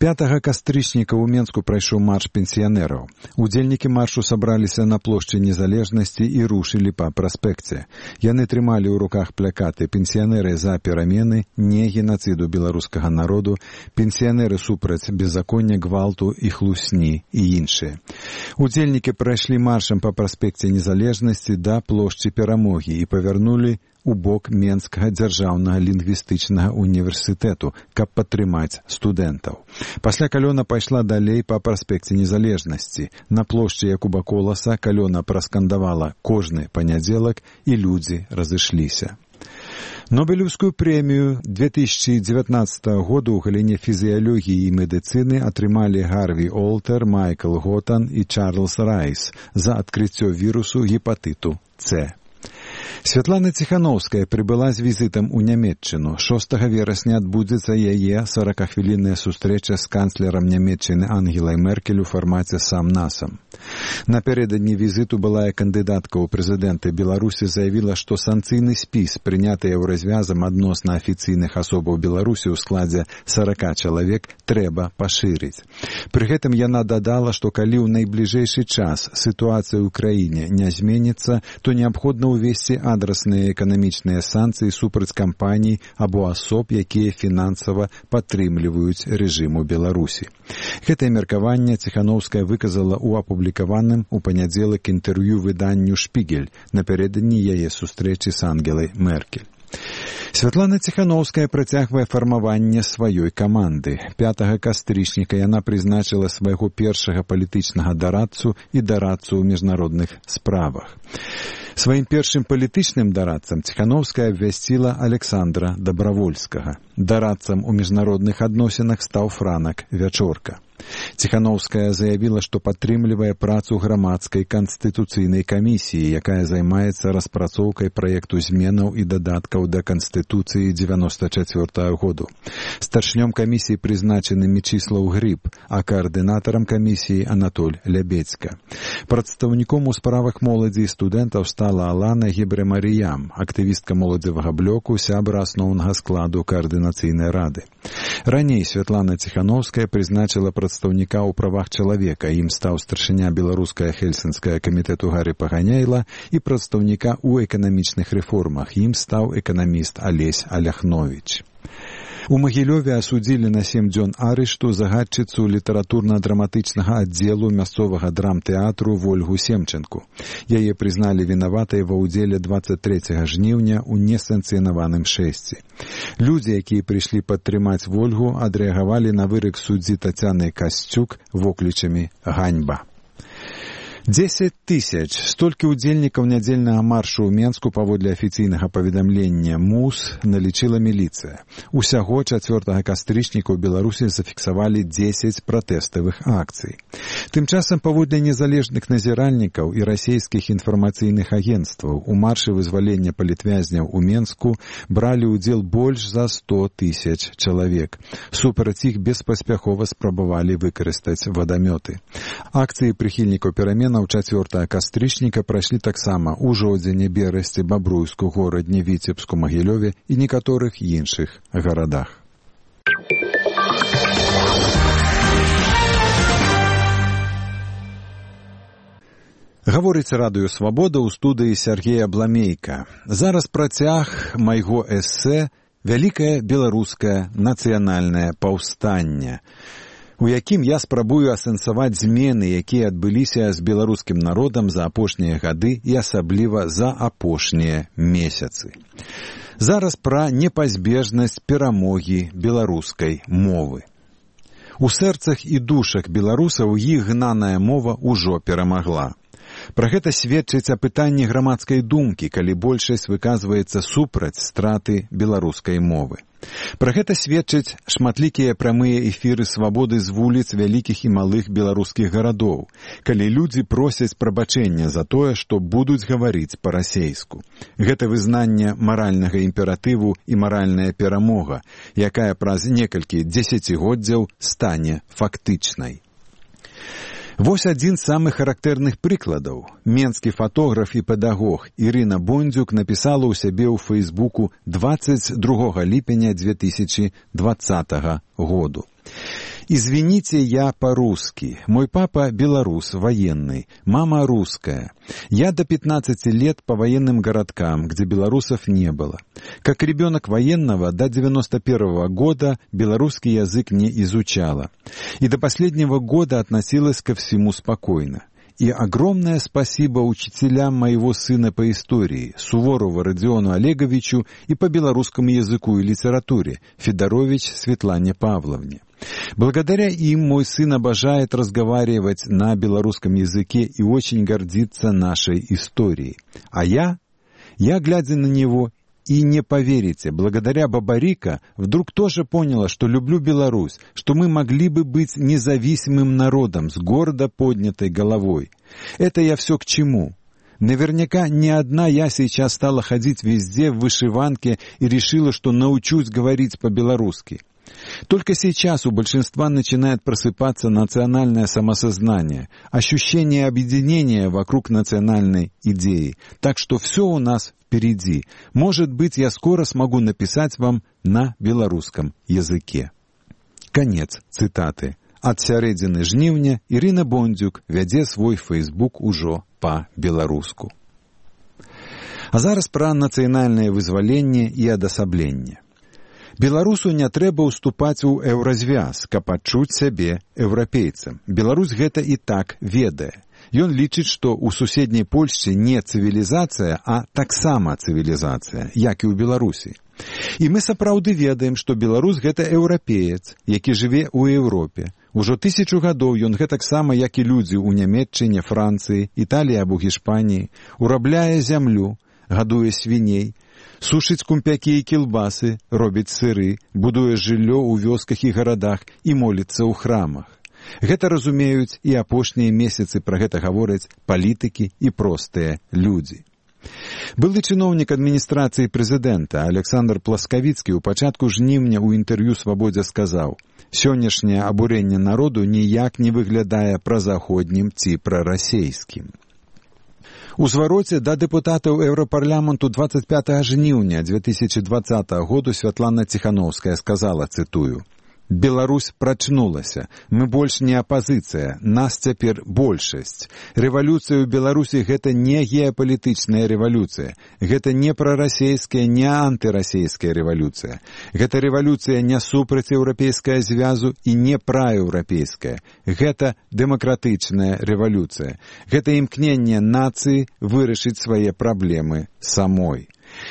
S1: пятага кастрычніка ў Менску прайшоў марш пенсіянераў. Удзельнікі маршу сабраліся на плошчы Незалежнасці і рушылі па праспекце. Яны трымалі ў руках плакаты «Пенсіянеры за перамены», «Не генацыду беларускага народу», «Пенсіянеры супраць беззаконня, гвалту і хлусні» і іншыя. Удзельнікі прайшлі маршам па праспекце Незалежнасці да плошчы Перамогі і павярнулі у бок Менскага дзяржаўнага лінгвістычнага універсітэту, каб падтрымаць студэнтаў. Пасля калёна пайшла далей па праспекце Незалежнасці. На плошчы Якуба Коласа калёна праскандавала «Кожны панядзелак» і людзі разышліся. Нобелеўскую прэмію две тысячи девятнадцатого года ў галіне фізіялогіі і медыцыны атрымалі Гарві Олтер, Майкл Готан і Чарльз Райс за адкрыццё вірусу гепатыту С. Святлана Ціханаўская прыбыла з візітам у Нямецчыну. шостага верасня адбудзецца яе соракахвілінная сустрэча з канцлерам Нямецчыны Ангелай Меркель у фармаце сам-насам. Напярэдадні візіту былая кандыдатка ў прэзідэнты Беларусі заявіла, што санкцыйны спіс, прыняты еўразвязам адносна афіцыйных асобаў Беларусі ў складзе сорока чалавек, трэба пашырыць. Пры гэтым яна дадала, што калі ў найбліжэйшы час сітуацыя ў краіне не зменіцца, то неабходна ўвесці адрасныя эканамічныя санкцыі супраць кампаній або асоб, якія фінансава падтрымліваюць рэжым у Беларусі. Гэтае меркаванне Ціханаўская выказала ў апублікаваным у панядзелак інтэрв'ю выданню «Шпігель» напярэдадні яе сустрэчы з Ангелай Меркель. Святлана Ціханаўская працягвае фармаванне сваёй каманды. пятага кастрычніка яна прызначыла свайго першага палітычнага дарадцу і дарадцу ў міжнародных справах. Сваім першым палітычным дарадцам Ціханаўская абвясціла Александра Дабравольскага. Дарадцам у міжнародных адносінах стаў Франак Вячорка. Ціханаўская заявіла, што падтрымлівае працу грамадскай канстытуцыйнай камісіі, якая займаецца распрацоўкай праекту зменаў і дадаткаў да Канстытуцыі дзевяносто чацвёртага году. Старшынём камісіі прызначаны Мечыслаў Грыб, а каардынатарам камісіі Анатоль Лябедзька. Прадстаўніком у справах моладзі і студэнтаў стала Алана Гебрэмаріям, актывістка моладзевага блоку, сябра асноўнага складу каардынацыйнай рады. Раней Святлана Ціханаўская прызначыла прадстаўніком прадстаўніка ў правах чалавека. Ім стаў старшыня беларускае хельсінскае камітэту Гарі Паганяйла і прадстаўніка ў эканамічных рэформах. Ім стаў эканаміст Алесь Аляхновіч. У Магілёве асудзілі на сем дзён арышту загадчыцу літаратурна-драматычнага аддзелу мясцовага драмтэатру Вольгу Семченку. Яе прызналі вінаватай ва ўдзеле дваццаць трэцяга жніўня ў несанкцыянаваным шэсці. Людзі, якія прыйшлі падтрымаць Вольгу, адрэагавалі на вырак суддзі Тацяны Касцюк воклічамі «Ганьба». дзесяць тысяч. Столькі ўдзельнікаў нядзельнага маршу ў Менску паводле афіцыйнага паведамлення МУС налічыла міліцыя. Усяго чацвёртага кастрычніка ў Беларусі зафіксавалі дзесяць пратэставых акцый. Тым часам паводле незалежных назіральнікаў і расійскіх інфармацыйных агенцтваў у маршы вызвалення палітвязняў у Менску бралі ўдзел больш за сто тысяч чалавек. Супраць іх беспаспяхова спрабавалі выкарыстаць вадамёты. Акцыі прыхільнікаў перамен у чацвёртага кастрычніка прайшлі таксама ў Жодзіне, Берасці, Бабруйску, Горадні, Віцебску, Магілёве і некаторых іншых гарадах. Гаворыць радыё «Свабода» ў студыі Сергея Бламейка. Зараз працяг майго эсэ «Вялікае беларускае нацыянальнае паўстанне», у якім я спрабую асэнсаваць змены, якія адбыліся з беларускім народам за апошнія гады і асабліва за апошнія месяцы. Зараз пра непазбежнасць перамогі беларускай мовы. У сэрцах і душах беларусаў іх гнаная мова ўжо перамагла. Пра гэта сведчыць апытанні грамадскай думкі, калі большасць выказваецца супраць страты беларускай мовы. Пра гэта сведчаць шматлікія прамыя эфіры «Свабоды» з вуліц вялікіх і малых беларускіх гарадоў, калі людзі просяць прабачэння за тое, што будуць гаварыць па-расейску. Гэта вызнанне маральнага імператыву і маральная перамога, якая праз некалькі дзесяцігоддзяў стане фактычнай. Вось адзін з самых характэрных прыкладаў. Менскі фатограф і педагог Ірына Бондзюк напісала ў сябе ў Фэйсбуку дваццаць другога ліпеня две тысячи двадцатага году. «Извините, я по-русски. Мой папа белорус, военный. Мама русская. Я до пятнадцати лет по военным городкам, где белорусов не было. Как ребенок военного до девяносто первого года белорусский язык не изучала. И до последнего года относилась ко всему спокойно. И огромное спасибо учителям моего сына по истории, Суворову Родиону Олеговичу, и по белорусскому языку и литературе, Федорович Светлане Павловне. Благодаря им мой сын обожает разговаривать на белорусском языке и очень гордится нашей историей. А я, я, глядя на него, и не поверите, благодаря Бабарика вдруг тоже поняла, что люблю Беларусь, что мы могли бы быть независимым народом с гордо поднятой головой. Это я все к чему? Наверняка не одна я сейчас стала ходить везде в вышиванке и решила, что научусь говорить по-белорусски. Только сейчас у большинства начинает просыпаться национальное самосознание, ощущение объединения вокруг национальной идеи. Так что все у нас впереди. Может быть, я скоро смогу написать вам на белорусском языке. Конец цитаты. Ад сярэдзіны жніўня Ірына Бондзюк вядзе свой фэйсбук ужо па-беларуску. А зараз пра нацыянальнае вызваленне і адасабленне. Беларусу не трэба ўступаць у еўразвяз, каб адчуць сябе еўрапейцам. Беларусь гэта і так ведае. Ён лічыць, што ў суседняй Польшчы не цывілізацыя, а таксама цывілізацыя, як і ў Беларусі. І мы сапраўды ведаем, што беларус гэта еўрапеец, які жыве ў Еўропе. Ужо тысячу гадоў ён гэтаксама, як і людзі ў Нямецчыне, Францыі, Італіі або Гішпаніі, урабляе зямлю, гадуе свіней, сушыць кумпякі і кілбасы, робіць сыры, будуе жыллё ў вёсках і гарадах і моліцца ў храмах. Гэта разумеюць і апошнія месяцы пра гэта гавораць палітыкі і простыя людзі. Былы чыноўнік адміністрацыі прэзідэнта Александр Пласкавіцкі ў пачатку жніўня ў інтэрв'ю «Свабодзе» сказаў: «Сённяшняе абурэнне народу ніяк не выглядае празаходнім ці прарасейскім». У звароце да дэпутатаў Еўрапарламенту двадцать пятага жніўня две тысячи двадцатого году Святлана Ціхановская сказала, цытую: Беларусь прачнулася. Мы больш не апазіцыя, нас цяпер большасць. Рэвалюцыя ў Беларусі гэта не геапалітычная рэвалюцыя. Гэта не прарасейская, не антырасейская рэвалюцыя. Гэта рэвалюцыя не супраць еўрапейскага звязу і не праеўрапейская. Гэта дэмакратычная рэвалюцыя. Гэта імкненне нацыі вырашыць свае праблемы самой.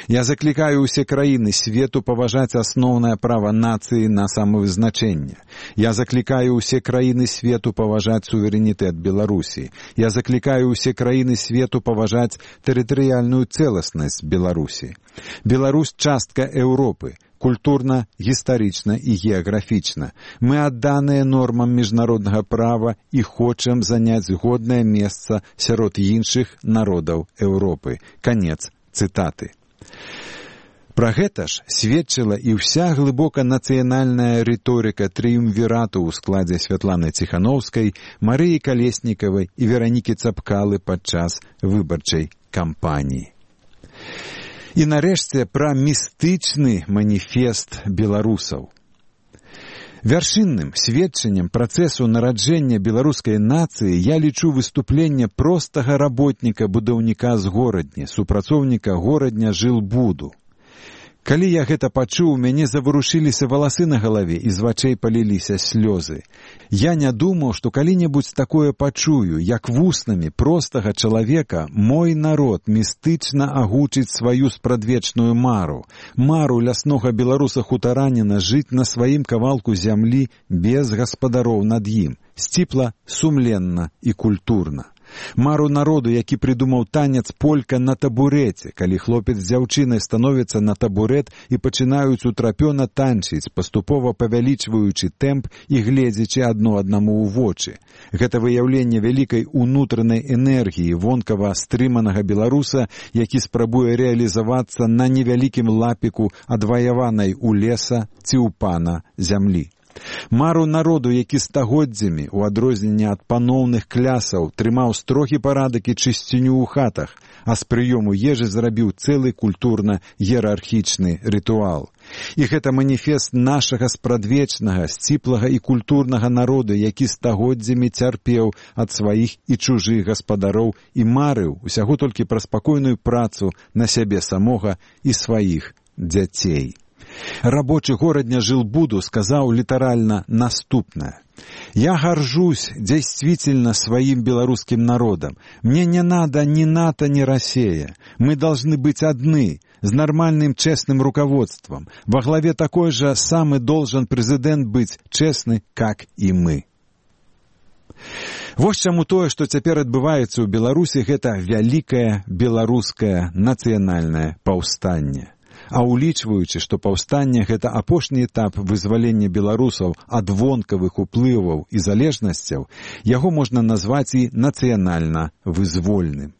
S1: Я заклікаю ўсе краіны свету паважаць асноўнае права нацыі на самавызначэнне. Я заклікаю ўсе краіны свету паважаць суверэнітэт Беларусі. Я заклікаю ўсе краіны свету паважаць тэрытарыяльную цэласнасць Беларусі. Беларусь частка Еўропы, культурна, гістарычна і геаграфічна. Мы адданыя нормам міжнароднага права і хочам заняць годнае месца сярод іншых народаў Еўропы. Канец цытаты. Пра гэта ж сведчыла і ўся глыбока нацыянальная рыторыка трыумвірату ў складзе Святланы Ціханаўскай, Марыі Калеснікавай і Веранікі Цапкалы падчас выбарчай кампаніі. І нарэшце пра містычны маніфест беларусаў. Вяршынным сведчаннем працэсу нараджэння беларускай нацыі я лічу выступленне простага работніка-будаўніка з горадні, супрацоўніка горадня жылбуду. Калі я гэта пачуў, у мяне заварушыліся валасы на галаве і з вачэй паліліся слёзы. Я не думаў, што калі-небудзь такое пачую, як вуснамі простага чалавека мой народ містычна агучыць сваю спрадвечную мару, мару ляснога беларуса-хутараніна жыць на сваім кавалку зямлі без гаспадароў над ім, сціпла, сумленна і культурна. Мару народу, які прыдумаў танец полька на табурэце, калі хлопец з дзяўчынай становяцца на табурэт і пачынаюць утрапёна танчыць, паступова павялічваючы тэмп і гледзячы адно аднаму ў вочы. Гэта выяўленне вялікай унутранай энергіі вонкава стрыманага беларуса, які спрабуе рэалізавацца на невялікім лапіку адваяванай у леса ці ў пана зямлі. Мару народу, які стагоддзямі, у адрозненне ад паноўных клясаў, трымаў строгі парадак і чысціню ў хатах, а з прыёму ежы зрабіў цэлы культурна-іерархічны рытуал. І гэта маніфест нашага спрадвечнага, сціплага і культурнага народу, які стагоддзямі цярпеў ад сваіх і чужых гаспадароў і марыў усяго толькі пра спакойную працу на сябе самога і сваіх дзяцей. Рабочы горадня жылбуду сказаў літаральна наступнае. «Я горжусь действительно своим белорусским народом. Мне не надо ни НАТО, ни Россия. Мы должны быть одни, с нормальным честным руководством. Во главе такой же самый должен президент быть честный, как и мы». Вось чаму тое, што цяпер адбываецца ў Беларусі, гэта вялікае беларускае нацыянальнае паўстанне. А улічваючы, што паўстанне – гэта апошні этап вызвалення беларусаў ад вонкавых уплываў і залежнасцяў, яго можна назваць і нацыянальна вызвольным.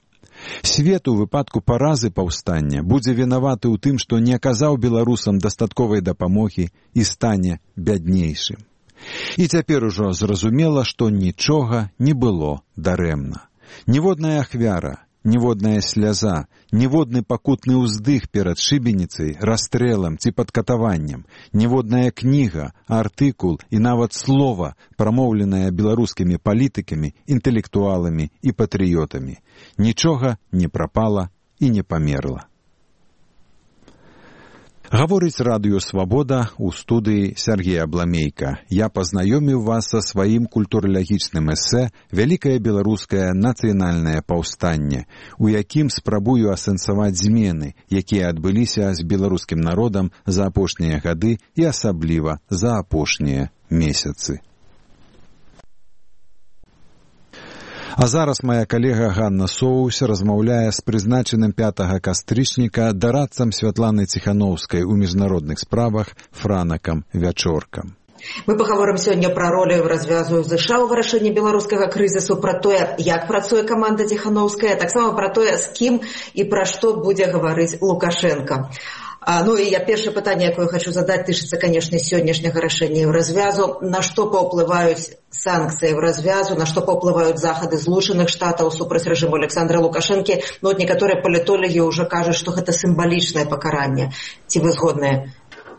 S1: Свет у выпадку паразы паўстання будзе вінаваты ў тым, што не аказаў беларусам дастатковай дапамогі і стане бяднейшым. І цяпер ужо зразумела, што нічога не было дарэмна. Ніводная ахвяра, ніводная сляза, ніводны пакутны ўздых перад шыбеніцай, расстрэлам ці падкатаваннем, ніводная кніга, артыкул і нават слова, прамоўленае беларускімі палітыкамі, інтэлектуаламі і патрыётамі. Нічога не прапала і не памерла. Гаворыць радыё «Свабода» у студыі Сергея Абламейка. Я пазнаёміў вас са сваім культуралагічным эсэ «Вялікае беларускае нацыянальнае паўстанне», у якім спрабую асэнсаваць змены, якія адбыліся з беларускім народам за апошнія гады і асабліва за апошнія месяцы. А зараз моя калега Ганна Соус размаўляе з прызначаным пятага кастрычніка дарадцам Святланы Ціханаўскай у міжнародных справах Франакам Вячоркам.
S3: Мы пагаворым сёння пра ролю развязу ЗША ў вырашэнні беларускага крызісу, пра тое, як працуе каманда Ціханаўская, таксама пра тое, з кім і пра што будзе гаварыць Лукашенко. А, ну і я першае пытанне, якое хочу задаць, тычыцца, канешне, сённяшняга рашэння Еўразвязу. На што паўплываюць санкцыі Еўразвязу, на што паўплываюць захады Злучаных Штатаў супраць рэжыму Александра Лукашэнкі? Ну, вот некаторыя палітолагі ўжо кажуць, што гэта сімвалічнае пакаранне. Ці вы згодныя?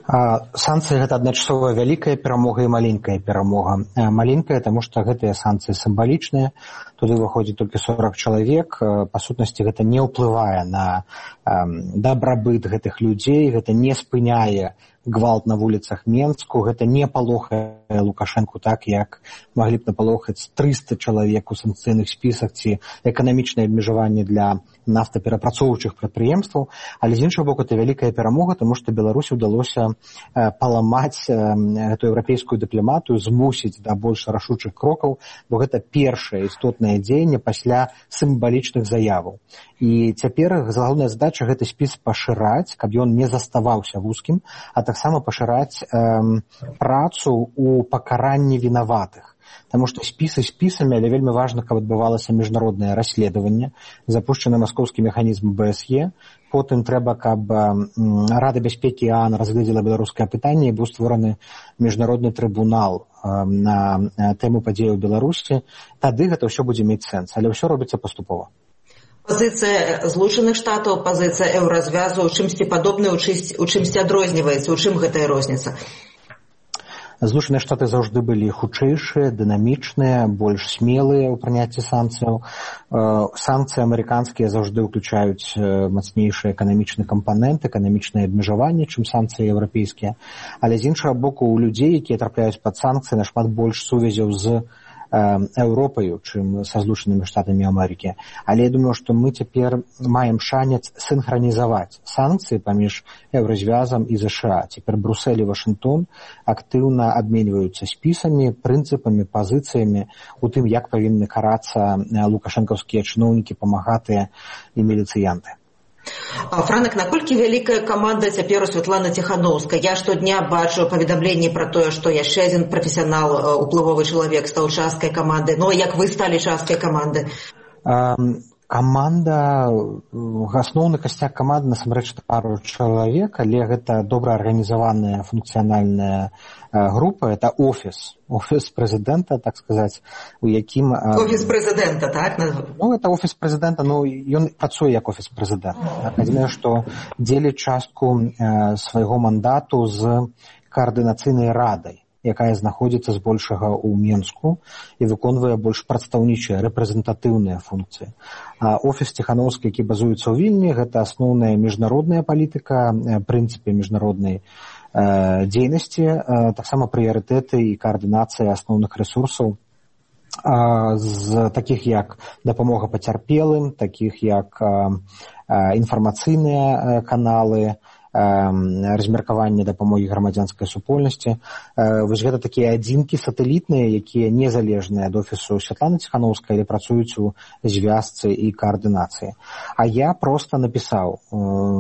S4: Санкцыі гэта адначасова вялікая перамога і маленькая перамога. Маленькая, таму што гэтыя санкцыі сімвалічныя, туды выходзіць толькі сорок чалавек, па сутнасці гэта не ўплывае на дабрабыт гэтых людзей, гэта не спыняе гвалт на вуліцах Менску, гэта не палохае Лукашэнку так, як маглі б напалохаць трыста чалавек у санкцыйных спісах ці эканамічнае абмежаванне для нафтаперапрацоўчых прадпрыемстваў, але з іншага боку, это вялікая перамога, таму што Беларусі ўдалося паламаць эту еўрапейскую дыпламатыю, змусіць да больш рашучых крокаў, бо гэта першае істотнае дзеянне пасля сімвалічных заяваў. І цяпер галоўная задача гэты спіс пашыраць, каб ён не заставаўся вузкім, а таксама пашыраць э, працу ў пакаранні вінаватых. Таму што спісы спісамі, але вельмі важна, каб адбывалася міжнароднае расследаванне, запушчаны маскоўскі механізм бэ эс е, потым трэба, каб Рада бяспекі ААН разгледзела беларускае пытанне і быў створаны міжнародны трыбунал на тэму падзеяў у Беларусі, тады гэта ўсё будзе мець сэнс, але ўсё робіцца паступова.
S3: Пазіцыя Злучаных Штатаў, пазіцыя еўразвязу ў чымсьці падобная, у чымсьці адрозніваецца, у чым гэтая розніца?
S4: Злучаныя Штаты заўжды былі хутчэйшыя, дынамічныя, больш смелыя ў прыняцці санкцыяў. Санкцыі амерыканскія заўжды ўключаюць мацнейшы эканамічны кампанент, эканамічнае абмежаванне, чым санкцыі еўрапейскія. Але з іншага боку, у людзей, якія трапляюць пад санкцыі, нашмат больш сувязяў з Еўропаю, чым са Злучанымі Штатамі Амерыкі. Але я думаю, што мы цяпер маем шанец сінхранізаваць санкцыі паміж еўразвязам і ЗША. Цяпер Брюссель і Вашынгтон актыўна абменьваюцца спісамі, прынцыпамі, пазіцыямі у тым, як павінны карацца лукашэнкаўскія чыноўнікі, памагатыя і міліцыянты.
S3: Франак, наколькі вялікая каманда цяпер у Святланы Ціханаўскай? Я штодня бачу паведамленні пра тое, што яшчэ адзін прафесіянал, уплывовы чалавек стаў часткай каманды. Ну, як вы сталі часткай каманды?
S4: Каманда, асноўны касцяк каманды насамрэч пару чалавек, але гэта добра арганізаваная функцыянальная група, это офіс, офіс прэзідэнта, так сказаць, у якім...
S3: Офіс прэзідэнта, так?
S4: Ну, это офіс прэзідэнта, ну, ён працуе як офіс прэзідэнта. Адзінае, што дзеліць частку свайго мандату з каардынацыйнай радай, якая знаходзіцца збольшага ў Менску і выконвае больш прадстаўнічыя, рэпрэзентатыўныя функцыі. А офіс Ціханаўскай, які базуецца ў Вільні, гэта асноўная міжнародная палітыка, прынцыпы міжнароднай э, дзейнасці, э, таксама прыярытэты і каардынацыя асноўных рэсурсаў, э, з такіх як дапамога пацярпелым, такіх як э, э, інфармацыйныя каналы, размеркаванне дапамогі грамадзянскай супольнасці. Вось гэта такія адзінкі сатэлітныя, якія незалежныя ад офісу Святланы Ціханаўскай, але працуюць у звязцы і каардынацыі. А я проста напісаў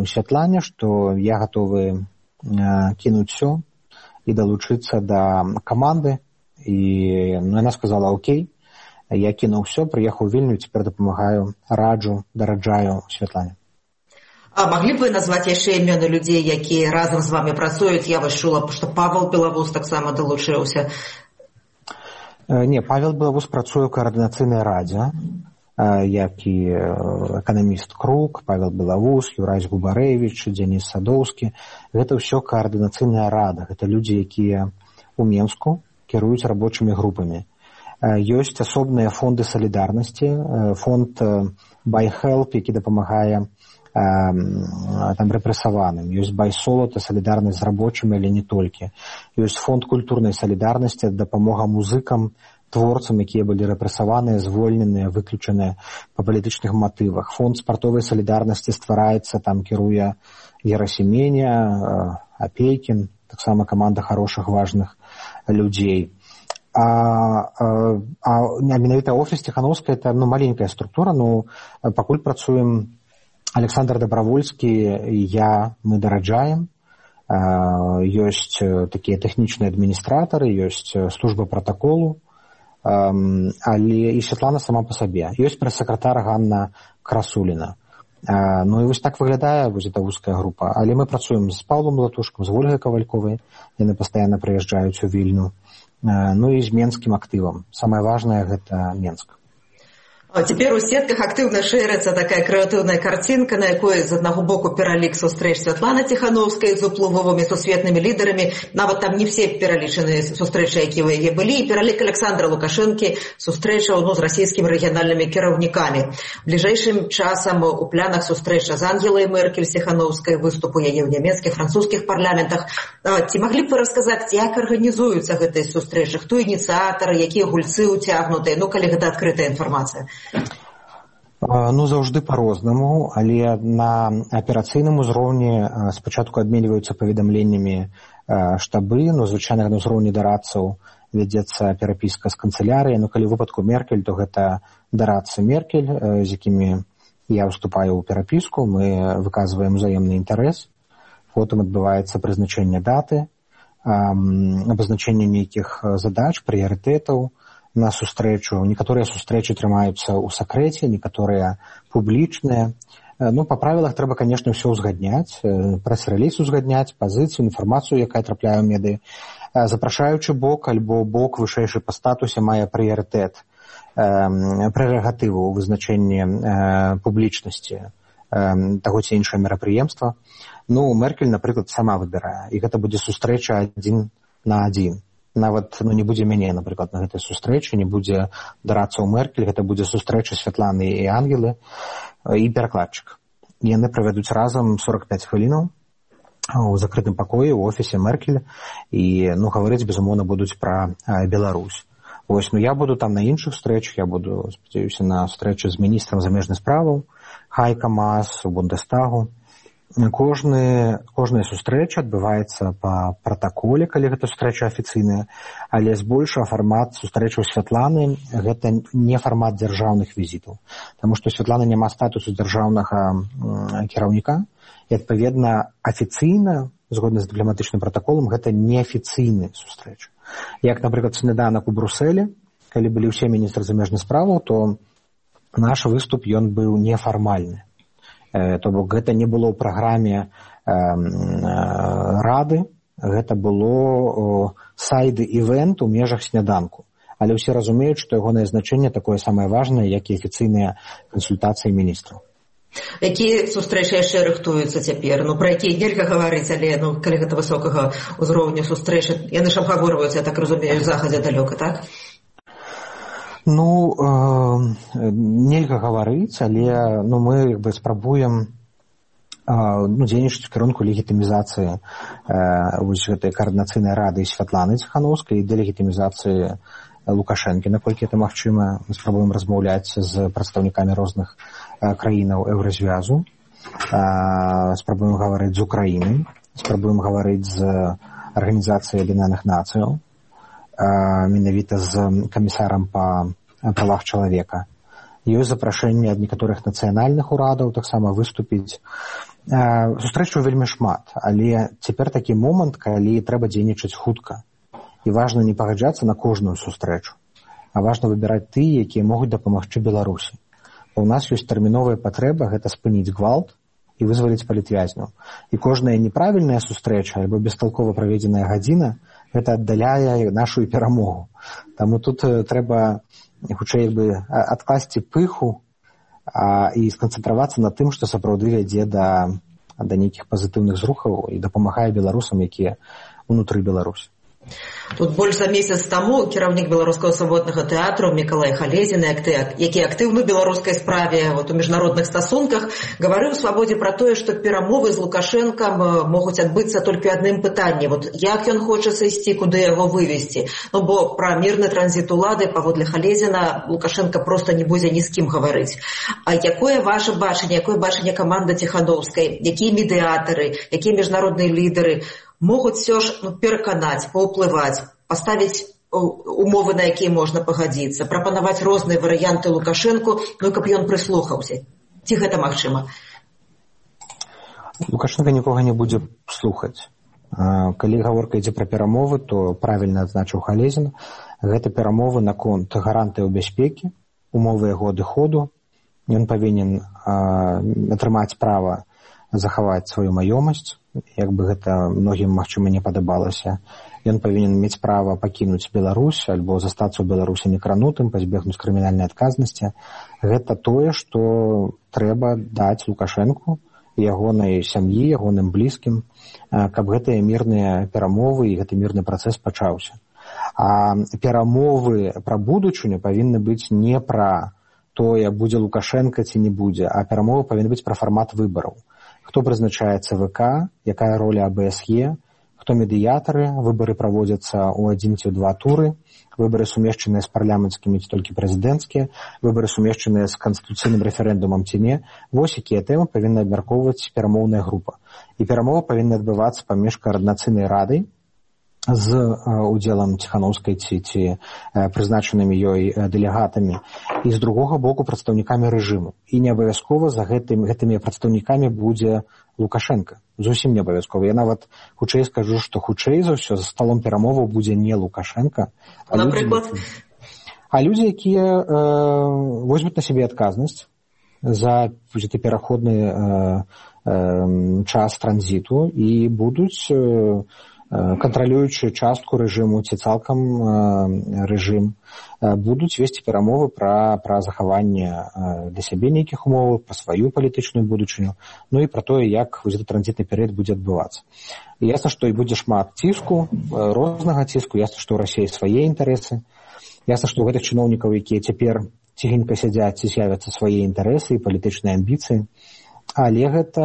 S4: Святлане, што я гатовы кінуць усё і далучыцца да каманды. І яна сказала: окей, я кінуў усё, прыехаў у Вільню, цяпер дапамагаю, раджу, дараджаю Святлане.
S3: А маглі б вы назваць яшчэ імёны людзей, якія разам з вамі працуюць? Я вось чула, што Павел Белавус таксама далучыўся.
S4: Не, Павел Белавус працуе ў каардынацыйнай радзе, як і эканаміст Крук, Павел Белавус, Юрась Губарэвіч, Дзеніс Садоўскі. Гэта ўсё каардынацыйная рада. Гэта людзі, якія ў Менску кіруюць рабочымі групамі. Ёсць асобныя фонды салідарнасці, фонд Buy Help, які дапамагае там рэпрэсаваным. Ёсць байсолата, салідарнасць з рабочымі, але не толькі. Ёсць фонд культурнай салідарнасці, дапамога музыкам, творцам, якія былі рэпрэсаваныя, звольненыя, выключаныя па палітычных матывах. Фонд спартовай салідарнасці ствараецца, там кіруе Герасіменя, Апейкін, таксама каманда хорошых, важных людзей. А, а, а менавіта офіс Ціханаўскай — это ну, маленькая структура, ну пакуль працуем Александр Добравольскі і я, мы дараджаем. Ёсць такія тэхнічныя адміністратары, ёсць служба пратаколу, але і Святлана сама па сабе. Ёсць прэс-сакратар Ганна Красуліна. Ну і вось так выглядае вось эта вузкая група. Але мы працуем з Паўлом Латушкам, з Ольгай Кавальковай, яны пастаянна прыязджаюць у Вільню. Ну і з менскім актывам. Самае важнае — гэта Менск.
S3: Цяпер у сетках актыўна шэрыцца такая крэатыўная карцінка, на якой з аднаго боку пералік сустрэч Святланы Ціханаўскай з уплывовымі сусветнымі лідарамі, нават там не все пералічаны сустрэчы, якія ў яе былі, і пералік Александра Лукашэнкі сустрэчаў ну, з расійскімі рэгіянальнымі кіраўнікамі. Бліжэйшым часам у планах сустрэча з Ангелай Меркель Ціханаўскай, выступу яе ў нямецкіх, французскіх парламентах. Ці маглі б вы расказаць, як арганізуюцца гэтыя сустрэчы, хто ініцыятары, якія гульцы ўцягнутыя, ну калі гэта адкрытая інфармацыя?
S4: Ну, заўжды па-рознаму, але на аперацыйным узроўні спачатку абменьваюцца паведамленнямі штабы, ну, звычайна на ўзроўні дарадцаў вядзецца перапіска з канцылярыяй, ну, калі ў выпадку Меркель, то гэта дарадцы Меркель, з якімі я ўступаю ў перапіску, мы выказваем узаемны інтарэс, потым адбываецца прызначэнне даты, абазначэнне нейкіх задач, прыярытэтаў, на сустрэчу. Некаторыя сустрэчы трымаюцца ў сакрэце, некаторыя публічныя. Ну, па правілах трэба, канешне, ўсё ўзгадняць, прэс-рэліз узгадняць, пазіцыю, інфармацыю, якая трапляе ў медыі. Запрашаючы бок альбо бок вышэйшы па статусе мае прыярытэт, прэрагатыву ў вызначэнні публічнасці таго ці іншае мерапрыемства. Ну, Меркель, напрыклад, сама выбірае, і гэта будзе сустрэча адзін на адзін. Нават ну, не будзе мяне, напрыклад, на гэтай сустрэчы, не будзе дарадцаў Меркель, гэта будзе сустрэча Святланы і Ангелы і перакладчык. Яны правядуць разам сорок пяць хвілінаў у закрытым пакоі ў офісе Меркель і ну, гаварыць, безумоўна, будуць пра Беларусь. Вось, ну, я буду там на іншых сустрэчах, я буду, спадзяюся, на сустрэчы з міністрам замежных справаў, Хайка Маас, у Бундестагу. Кожны, кожная сустрэча адбываецца па пратаколе, калі гэта сустрэча афіцыйная, але збольшага фармат сустрэчаў Святланы гэта не фармат дзяржаўных візітаў, таму што Святлана няма статусу дзяржаўнага кіраўніка, і адпаведна афіцыйна, згодна з дыпламатычным пратаколам, гэта неафіцыйны сустрэч. Як, напрыклад, сняданак у Брусэлі, калі былі ўсе міністры замежных справаў, то наш выступ ён быў нефармальны. То бок гэта не было ў праграме э, э, рады, гэта было сайд-івент у межах сняданку. Але ўсе разумеюць, што ягонае значэнне такое самае важнае, як і афіцыйныя кансультацыі міністраў.
S3: Якія сустрэчы яшчэ рыхтуюцца цяпер? Ну, пра якія нельга гаварыць, але ну, калі гэта высокага ўзроўню сустрэчы, яны ж абгаворваюцца, я так разумею, захадзе далёка, так?
S4: Ну, э, нельга гаварыць, але ну, мы як бы спрабуем э, ну, дзейнічаць у кірунку легітымізацыі э, вось гэтай каардынацыйнай рады Святланы Ціханаўскай і дэлегітымізацыі Лукашэнкі, наколькі это магчыма. Мы спрабуем размаўляць з прадстаўнікамі розных э, краінаў еўразвязу, э, спрабуем гаварыць з Украінай, спрабуем гаварыць з арганізацыяй Аб'яднаных Нацыяў, менавіта з камісарам па правах чалавека. Ёсць запрашэнне ад некаторых нацыянальных урадаў таксама выступіць. Сустрэчаў вельмі шмат, але цяпер такі момант, калі трэба дзейнічаць хутка. І важна не пагаджацца на кожную сустрэчу, а важна выбіраць тыя, якія могуць дапамагчы Беларусі. У нас ёсць тэрміновая патрэба гэта спыніць гвалт і вызваліць палітвязняў. І кожная неправільная сустрэча альбо бесталкова праведзеная гадзіна гэта аддаляе нашу перамогу. Таму тут трэба хутчэй бы адкласці пыху а, і сканцэнтравацца на тым, што сапраўды вядзе да, да нейкіх пазітыўных зрухаў і дапамагае беларусам, якія ўнутры Беларусі.
S3: Тут больш за месяц таму кіраўнік беларускага свабоднага тэатру Мікалай Халезін, які актыўны беларускай справе вот, у міжнародных стасунках, гаварыў свабодзе пра тое, што перамовы з Лукашэнкам могуць адбыцца толькі адным пытанні. Вот, як ён хоча сысці, куды яго вывесці? Ну, бо пра мірны транзіт улады, паводле Халезіна, Лукашэнка проста не будзе ні з кім гаварыць. А якое ваше бачанне, якое бачанне каманды Ціханаўскай, якія медыятары, якія міжнародныя лідары могуць все ж ну, пераканаць, паўплываць, паставіць умовы, на якія можна пагадзіцца, прапанаваць розныя варыянты Лукашэнку, ну, каб ён прыслухаўся. Ці гэта магчыма?
S4: Лукашенко нікога не будзе слухаць. Калі гаворка ідзе пра перамовы, то правільна адзначыў Халезін, гэта перамовы наконт гарантыяў бяспекі, умовы яго адыходу. Ён павінен атрымаць права захаваць сваю маёмасць, як бы гэта многім, магчыма, не падабалася. ён павінен мець права пакінуць Беларусь альбо застацца ў Беларусі некранутым, пазбегнуць крымінальнай адказнасці. Гэта тое, што трэба даць Лукашэнку, ягонай сям'і, ягоным блізкім, каб гэтыя мірныя перамовы і гэты мірны працэс пачаўся. А перамовы пра будучыню павінны быць не пра тое, будзе Лукашенко ці не будзе, а перамовы павінны быць пра фармат выбараў. Хто прызначае ЦВК, якая роля АБСЕ, хто медыятары, выбары праводзяцца ў адзін ці ў два туры, выбары сумешчаныя з парламенцкімі ці толькі прэзідэнцкія, выбары сумешчаныя з канстытуцыйным рэферэндумам ці не. Вось якія тэмы павінна абмяркоўваць перамоўная група. І перамовы павінны адбывацца паміж каардынацыйнай радай з удзелам Ціханаўскай ці, ці прызначанымі ёй дэлегатамі і з другога боку прадстаўнікамі рэжыму. І не абавязкова за гэтым, гэтымі прадстаўнікамі будзе Лукашенко. Зусім не абавязкова. Я нават хутчэй скажу, што хутчэй за ўсё за сталом перамоваў будзе не Лукашенко, а
S3: напрыклад,
S4: людзі, а людзі, якія э, возьмуць на сябе адказнасць за гэты пераходны э, э, час транзіту і будуць э, кантралюючую частку рэжыму ці цалкам рэжым, будуць весці перамовы пра, пра захаванне для сябе нейкіх умоваў, пра сваю палітычную будучыню, ну і пра тое, як гэты транзітны перыяд будзе адбывацца. І ясна, што і будзе шмат ціску, рознага ціску, ясна, што ў Расіі свае інтарэсы, ясна, што ў гэтых чыноўнікаў, якія цяпер ціхенька сядзяць, ці з'явяцца свае інтарэсы і палітычныя амбіцыі, але гэта,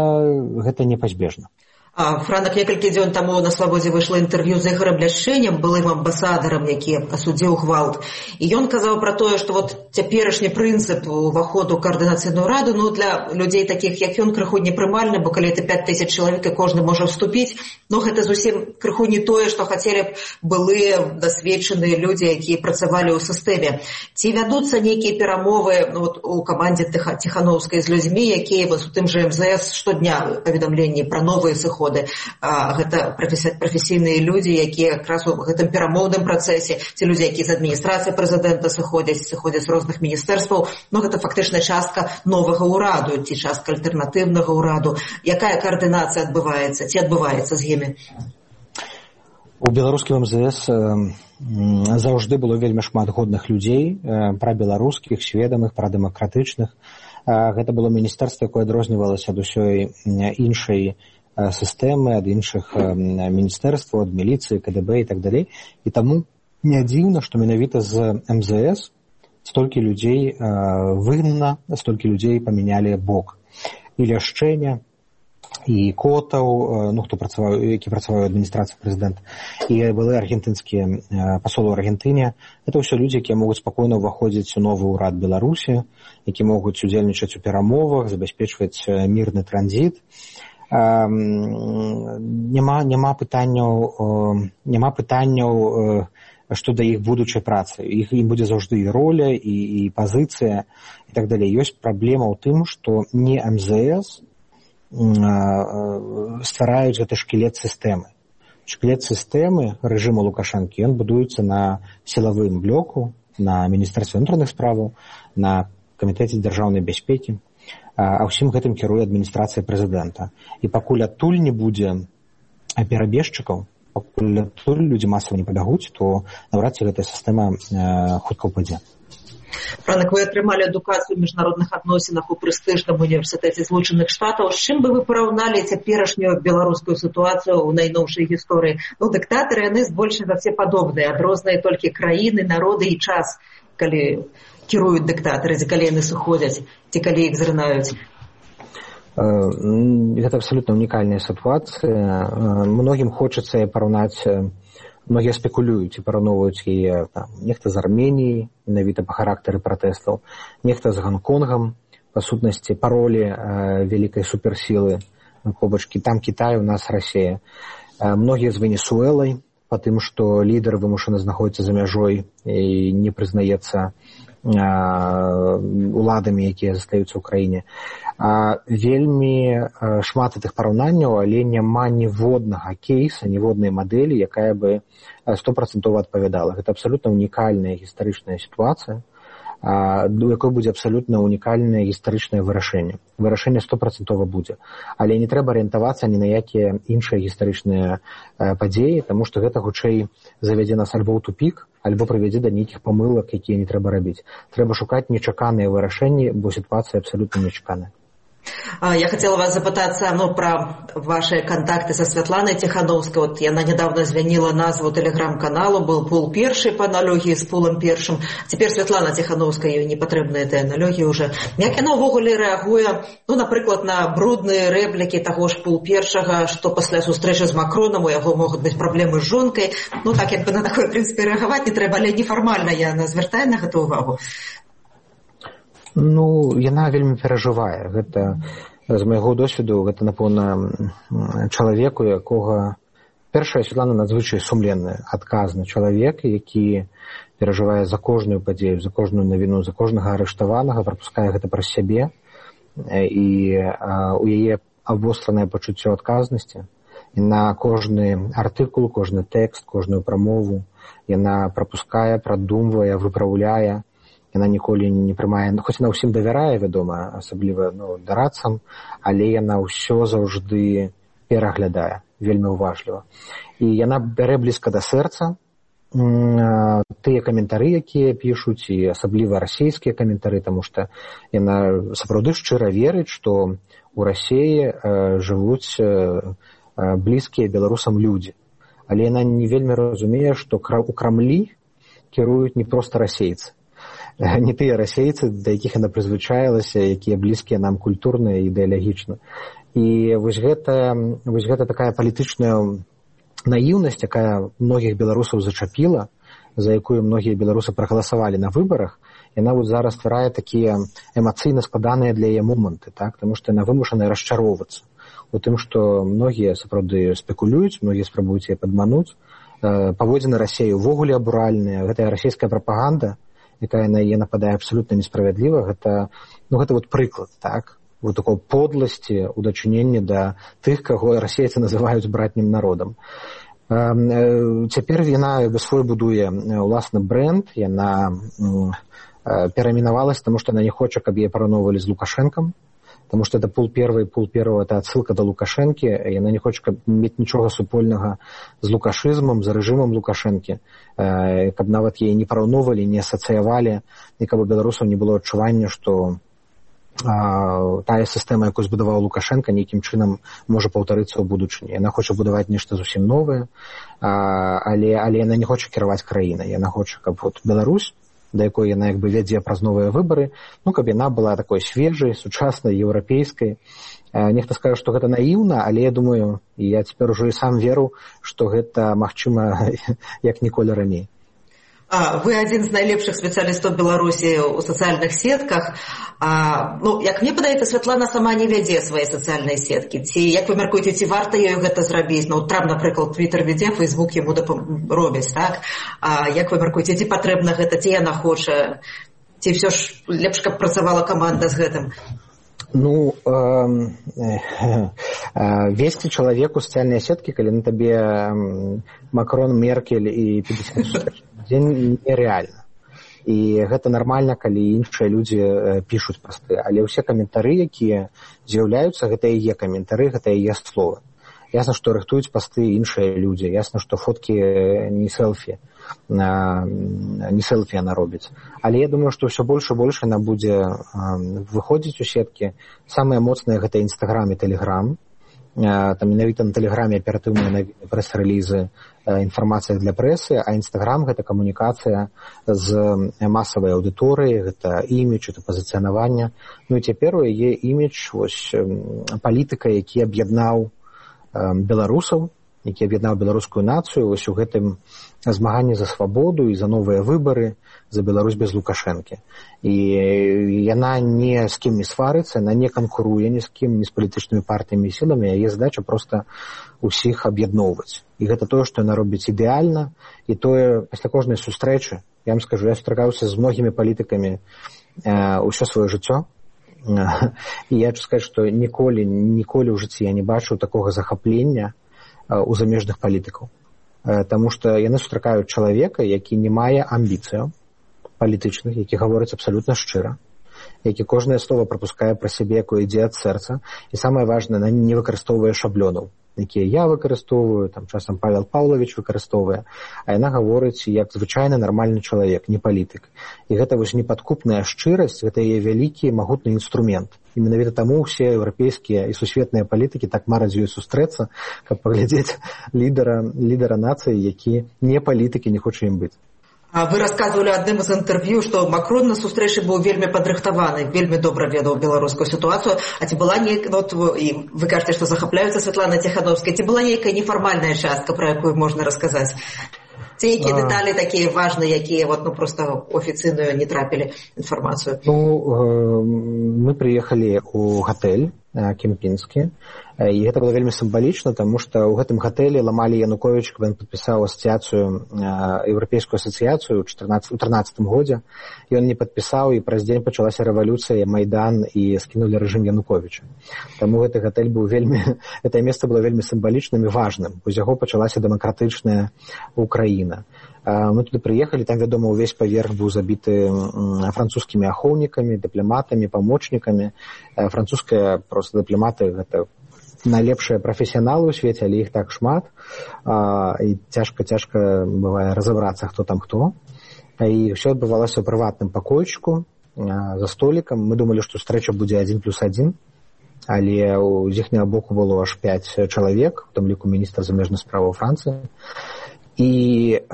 S4: гэта непазбежна.
S3: Франак некалькі дзён таму на Свабодзе выйшла інтэрв'ю з Ігорам Ляшчэнем, былым амбасадарам, які асудзіў гвалт. І ён казаў пра тое, што вот цяперашні прынцып уваходу ў каардынацыйную раду, ну, для людзей такіх, як ён, крыху непрымальны, бо калі это пяць тысяч чалавек, і кожны можа вступіць, ну, гэта зусім крыху не тое, што хацелі б былыя дасведчаныя людзі, якія працавалі ў сістэме. Ці вядуцца нейкія перамовы, ну, вот, у камандзе Ціханаўскай з людзьмі, якія вось у тым жа эм зэ эс штодня паведамленні пра новыя сыходы. Гэта прафесійныя людзі, якія якраз у гэтым перамоўным працэсе, ці людзі, якія з адміністрацыі прэзідэнта сыходзяць, сыходзяць з розных міністэрстваў, ну гэта фактычна частка новага ўраду, ці частка альтэрнатыўнага ўраду. Якая каардынацыя адбываецца, ці адбываецца з імі?
S4: У беларускім эм зэ эс заўжды было вельмі шмат годных людзей, прабеларускіх, сведамых, прадэмакратычных. Гэта было міністэрства, якое адрознівалася ад усёй іншай сістэмы, ад іншых міністэрстваў, ад міліцыі, ка дэ бэ і так далей. І таму не дзіўна, што менавіта з эм зэ эс столькі людзей выгнана, столькі людзей памянялі бок. І Ляшчэня, і Котаў, ну, хто працаваў, які працаваў у адміністрацыі прэзідэнта, і былыя аргентынскія пасолы ў Аргентыне. Гэта ўсё людзі, якія могуць спакойна ўваходзіць у новы ўрад Беларусі, які могуць удзельнічаць у перамовах, забяспечваць мірны транзіт. Няма, няма пытанняў, няма пытанняў, што да іх будучай працы. Іх ім будзе заўжды і роля, і, і пазіцыя, і так далей. Ёсць праблема ў тым, што не эм зэ эс ствараюць гэты шкілет сістэмы. Шкілет сістэмы рэжыму Лукашэнкі, ён будуецца на сілавым блоку, на міністэрстве ўнутраных справаў, на камітэце дзяржаўнай бяспекі. А ўсім гэтым кіруе адміністрацыя прэзідэнта. І пакуль адтуль не будзе перабежчыкаў, пакуль адтуль людзі масава не пабягуць, то наўрад ці гэтая сістэма хутка ўпадзе.
S3: Франак, вы атрымалі адукацыю ў міжнародных адносінах у прэстыжным універсітэце Злучаных Штатаў. З чым бы вы параўналі цяперашнюю беларускую сітуацыю ў найноўшай гісторыі? Ну, дыктатары, яны збольшага все падобныя, адрозныя толькі краіны, народы і час, калі кіруюць дыктатары, ці калі яны сыходзяць, ці калі іх зрынаюць.
S4: Гэта абсалютна унікальная сітуацыя. Многім хочацца параўнаць, многія спекулююць і параўноўваюць яе там, нехта з Арменіяй, менавіта па характары пратэстаў, нехта з Ганконгам, па сутнасці, па ролі э, вялікай суперсілы побачкі. Там Кітай, у нас Расія. Э, многія з Венесуэлай, па тым, што лідар вымушаны знаходзіцца за мяжой і не прызнаецца уладамі, якія застаюцца ў краіне. Вельмі шмат гэтых параўнанняў, але няма ніводнага кейса, ніводнай мадэлі, якая бы стопрацэнтова адпавядала. Гэта абсалютна унікальная гістарычная сітуацыя. у якой будзе абсалютна унікальнае гістарычнае вырашэнне. Вырашэнне стопрацэнтова будзе. Але не трэба арыентавацца ні на якія іншыя гістарычныя падзеі, таму што гэта хутчэй завядзе нас альбо ў тупік, альбо прывядзе да нейкіх памылак, якія не трэба рабіць. Трэба шукаць нечаканыя вырашэнні, бо сітуацыя абсалютна нечаканая.
S3: Я хотела вас запытаться ну, про ваши контакты со Святланой Тихановской. Вот она недавно звонила назву телеграм-каналу, был пул перший по аналогии с пулом першим. Теперь Святлана Тихановская, ее не потребны этой аналогии уже. Як яно ввогуле реагує, ну, наприклад, на брудные реплики того ж пул першага, что после встречи с Макроном у яго могут быть проблемы с жонкой. Ну, так, якби на такое, в принципе, реагувати не треба, але неформально я звертаю на гэта увагу.
S4: Ну, яна вельмі перажывае. Гэта, з майго досведу, гэта, напэўна, чалавек, у якога... Першая, Святлана надзвычай сумленны, адказны чалавек, які перажывае за кожную падзею, за кожную навіну, за кожнага арыштаванага, прапускае гэта праз сябе, і а, у яе абвостранае пачуццё адказнасці. І на кожны артыкул, кожны тэкст, кожную прамову яна прапускае, прадумвае, выпраўляе. Яна ніколі не прымае, хоць яна ўсім давярае, вядома, асабліва ну, дарадцам, але яна ўсё заўжды пераглядае, вельмі уважліва. І яна бярэ блізка да сэрца тыя каментары, якія пішуць, і асабліва расійскія каментары, таму што яна сапраўды шчыра верыць, што ў Расіі жывуць блізкія беларусам людзі. Але яна не вельмі разумее, што у Крамлі кіруюць не проста расейцы. Не тыя расейцы, да якіх яна прызвычаілася, якія блізкія нам культурна і ідэалагічна. І вось гэта, вось гэта такая палітычная наіўнасць, якая многіх беларусаў зачапіла, за якую многія беларусы прагаласавалі на выбарах, яна вот зараз стварае такія эмацыйна складаныя для яе моманты, так? Таму што яна вымушаная расчароўвацца у тым, што многія сапраўды спекулююць, многія спрабуюць яе падмануць. Паводзіны Расіі ўвогуле абуральныя, гэтая расійская прапаганда, якая на яе нападае абсалютна несправядліва, гэта, ну, гэта вот прыклад, так? Вот такой подласці ў дачыненні да тых, каго расейцы называюць братнім народам. Цяпер яна свой будуе ўласны брэнд, яна пераіменавалася, таму што яна не хоча, каб яе параўноўвалі з Лукашэнкам, таму што это пул первый, пул первого, это адсылка да Лукашэнкі, яна не хоча мець нічога супольнага з лукашызмам, з рэжымам Лукашэнкі, каб нават яе не параўноўвалі, не асацыявалі, і каб у беларусаў не было адчування, што а, тая сістэма, якую збудаваў Лукашэнка, нейкім чынам можа паўтарыцца ў будучыні. Яна хоча будаваць нешта зусім новае, а, але, але яна не хоча кіраваць краінай. Яна хоча, каб вот Беларусь, да якой яна як бы вядзе праз новыя выбары, ну, каб яна была такой свежай, сучаснай, еўрапейскай. Нехта скажа, што гэта наіўна, але я думаю, і я цяпер ужо і сам веру, што гэта магчыма як ніколі раней.
S3: А, вы адзін з найлепшых спецыялістаў Беларусі ў сацыяльных сетках. А, ну, як мне падаецца, Святлана сама не вядзе свае сацыяльныя сеткі. Ці, як вы мяркуеце, ці варта ёй гэта зрабіць? Ну, Трамп, напрыклад, Твіттер вядзе, Фейсбук яму робіць, так? А як вы мяркуеце, ці патрэбна гэта, ці яна хоча? Ці ўсё ж лепш, каб працавала каманда з гэтым?
S4: Ну, э, э, э, весці чалавеку сацыяльныя сеткі, калі на табе э, Макрон, Меркель і пятьдесят дзень нереальна. І гэта нармальна, калі іншыя людзі э, пішуць пасты. Але ўсе каментары, якія з'яўляюцца, гэта яе каментары, гэта яе словы. Ясна, што рыхтуюць пасты іншыя людзі. Ясна, што фоткі не селфі. Не селфі яна робіць. Але я думаю, што ўсё больш і больш яна будзе выходзіць у сеткі. Самыя моцныя гэта Інстаграм і Тэлеграм. Там менавіта на Тэлеграме аператыўныя прэс-рэлізы, інфармацыя для прэсы, а Інстаграм гэта камунікацыя з масавай аўдыторыяй, гэта імідж, гэта пазіцыянаванне. Ну і цяпер у яе імідж, вось палітыка, які аб'яднаў беларусаў, які аб'яднаў беларускую нацыю вось у гэтым змаганні за свабоду і за новыя выбары, за Беларусь без Лукашэнкі. І яна ні з кім не сварыцца, яна не канкуруе ні з кім, ні з палітычнымі партыямі і сіламі, яе задача проста ўсіх аб'ядноўваць. І гэта тое, што яна робіць ідэальна, і тое пасля кожнай сустрэчы, я вам скажу, я сустракаўся з многімі палітыкамі ўсё сваё жыццё, і я хочу сказаць, што ніколі, ніколі ў жыцці я не бачыў такога захаплення у замежных палітыкаў. Таму што яны сустракаюць чалавека, які не мае амбіцыяў, палітычны, які гаворыць абсалютна шчыра, які кожнае слово прапускае пра сябе, якое ідзе ад сэрца, і самае важнае, не выкарыстоўвае шаблёнаў, якія я выкарыстоўваю, там часам Павел Павлович выкарыстоўвае, а яна гаворыць як звычайны нармальны чалавек, не палітык. І гэта вось непадкупная шчырасць, гэта яе вялікі магутны інструмент. І менавіта таму ўсе еўрапейскія і сусветныя палітыкі так мараць з ёй сустрэцца, каб паглядзець лідара, лідара нацыі, які не палітык і не хоча ім быць.
S3: Вы расказвалі адным з інтэрв'ю, што Макрон на сустрэчы быў вельмі падрыхтаваны, вельмі добра ведаў беларускую сітуацыю, а ці была нейкая, вот, і вы кажаце, што захапляюцца Святланай Ціхановскай, ці была нейкая нефармальная частка, пра якую можна расказаць? Ці якія дэталі такія важныя, якія вот, ну, проста афіцыйную не трапілі інфармацыю?
S4: Ну, мы прыехалі ў гатэль кемпінскі, і гэта было вельмі сімвалічна, таму што ў гэтым гатэлі ламалі Януковіч, каб ён падпісаў асацыяцыю, еўрапейскую асацыяцыю ў трынаццатым годзе. Ён не падпісаў, і праз дзень пачалася рэвалюцыя, Майдан, і скінулі рэжым Януковіча. Таму гэты гатэль быў вельмі, гэтае месца было вельмі сімвалічным і важным. З яго пачалася дэмакратычная Украіна. Мы туды прыехалі, там, вядома, увесь паверх быў забіты французскімі ахоўнікамі, дыпламатамі, памочнікамі. Французскія проста дыпламаты гэта найлепшыя прафесіяналы ў свеце, але іх так шмат, і цяжка-цяжка бывае разабрацца, хто там хто. І ўсё адбывалася ў прыватным пакойчыку за столікам. Мы думалі, што сустрэча будзе адзін плюс адзін, але з іхняга боку было аж пяць чалавек, у тым ліку міністр замежных справаў Францыі. І э,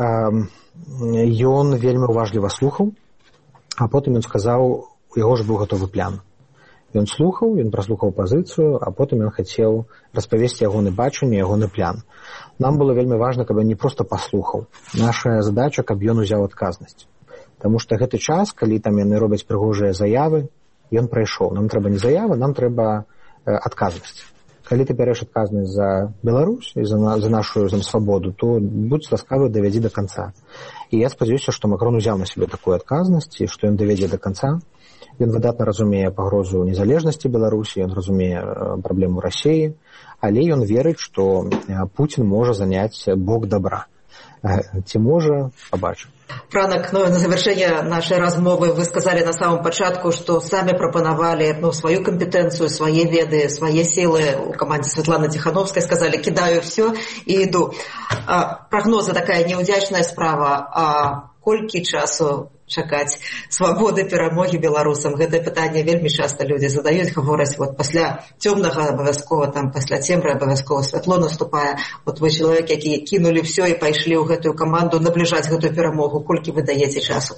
S4: ён вельмі уважліва слухаў, а потым ён сказаў, у яго ж быў гатовы план. Ён слухаў, ён праслухаў пазіцыю, а потым ён хацеў распавесці ягоны бачанне, ягоны план. Нам было вельмі важна, каб ён не проста паслухаў. Наша задача, каб ён узяў адказнасць. Таму што гэты час, калі там яны робяць прыгожыя заявы, ён прайшоў. Нам трэба не заявы, нам трэба э, адказнасць. Калі ты бярэш адказнасць за Беларусь і за, за нашу за свабоду, то будь ласкавы, давядзі да канца. І я спадзяюся, што Макрон узяў на сябе такую адказнасць і што ён давядзе да канца. Ён выдатна разумее пагрозу незалежнасці Беларусі, ён разумее праблему Расіі, але ён верыць, што Пуцін можа заняць бок добра. Ці можа, пабачым.
S3: Франак, ну, на завершение нашей размовы вы сказали на самом початку, что сами пропоновали, ну, свою компетенцию, свои веды, свои силы у команде Светланы Тихановской, сказали, кидаю все и иду. А, прогнозы такая неудячная справа, а колькі часу чакаць свабоды, перамогі беларусам? Гэтае пытанне вельмі часта людзі задаюць, гавораць, вот пасля цёмнага абавязкова, там пасля цемры абавязкова святло наступае. Вот вы чалавек, які кінулі все і пайшлі ў гэтую каманду набліжаць гэтую перамогу. Колькі вы даеце часу?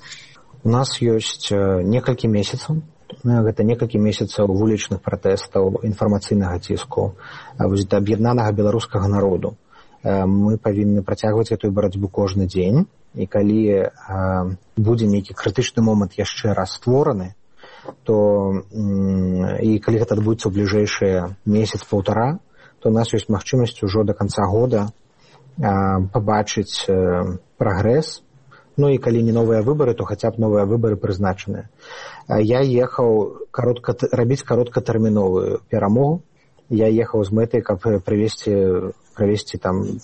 S4: У нас ёсць некалькі месяцаў. Гэта некалькі месяцаў вулічных пратэстаў, інфармацыйнага ціску, аб'яднанага беларускага народу. Мы павінны працягваць гэтую барацьбу кожны дзень. І калі э, будзе нейкі крытычны момант яшчэ раз створаны, то м, і калі гэта адбудзецца ў бліжэйшыя месяц-паўтара, то у нас ёсць магчымасць ужо да канца года э, пабачыць э, прагрэс. Ну і калі не новыя выбары, то хаця б новыя выбары прызначаныя. Э, я ехаў каротка, рабіць кароткатэрміновую перамогу. Я ехаў з мэтай, каб прывесці, правесці там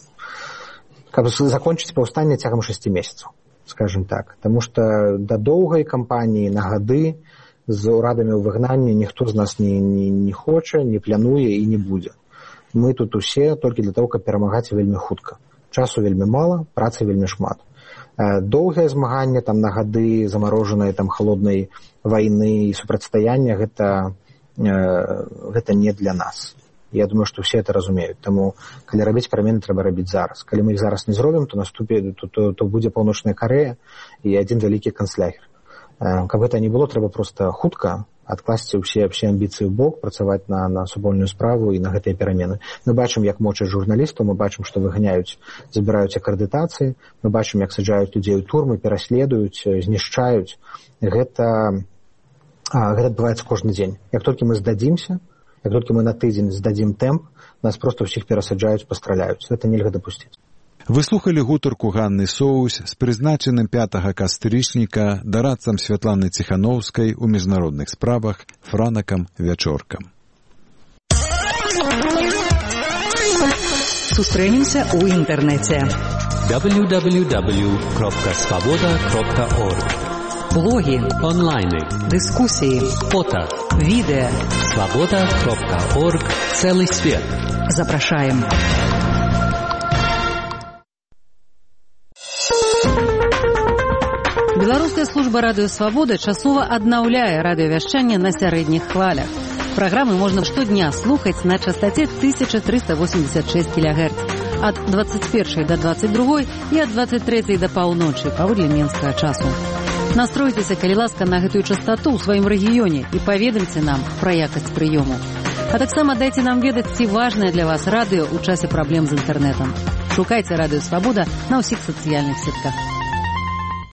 S4: каб закончыць паўстанне цягам шасці месяцаў, скажем так. Таму што да доўгай кампаніі на гады з урадамі ў выгнанні ніхто з нас не, не, не хоча, не плануе і не будзе. Мы тут усе толькі для того, каб перамагаць вельмі хутка. Часу вельмі мала, працы вельмі шмат. Доўгае змаганне там на гады замарожанай там халоднай вайны і супрацьстаяння гэта, гэта не для нас. Я думаю, што ўсе это разумеюць. Таму, калі рабіць перамены, трэба рабіць зараз. Калі мы іх зараз не зробім, то наступе, то, то, то будзе Паўночная Карэя і адзін вялікі канцлягер. Каб гэта не было, трэба проста хутка адкласці ўсе, ўсе амбіцыі ў бок, працаваць на, на супольную справу і на гэтыя перамены. Мы бачым, як мочаць журналістаў, мы бачым, што выганяюць, забіраюць акрэдытацыі, мы бачым, як саджаюць людзей у турмы, пераследуюць, знішчаюць. Гэта, гэта адбываецца кожны дзень. Як толькі мы здадзімся, як толькі мы на тыдзень здадзім тэмп, нас проста ўсіх перасаджаюць, пастраляюць. Гэта нельга дапусціць.
S1: Вы слухалі гутарку Ганны Соўсь з прызначаным пятага кастрычніка дарадцам Святланы Ціхановскай у міжнародных справах Франакам Вячоркам.
S5: Сустрэнемся ў інтэрнэце.
S6: дабл ю дабл ю дабл ю крапка свабода крапка орг
S5: Блоги, онлайны, дискуссии, фото, видео. свобода точка орг. Целый свет. Запрашаем.
S6: Беларуская служба радыё «Свабода» часова аднаўляе радыёвяшчанне на сярэдніх хвалях. Праграмы можна штодня слухаць на частоце тысяча триста восемьдесят шесть килогерц ад двадцать першай да двадцать другой і ад двадцать трэцяй да паўночы паводле менскага часу. Настройцеся, калі ласка, на гэтую частоту ў сваім рэгіёне і паведамце нам пра якасць прыёму. А таксама дайце нам ведаць, ці важнае для вас радыё ў часе праблем з інтэрнэтам. Шукайце радыё «Свабода» на ўсіх сацыяльных сетках.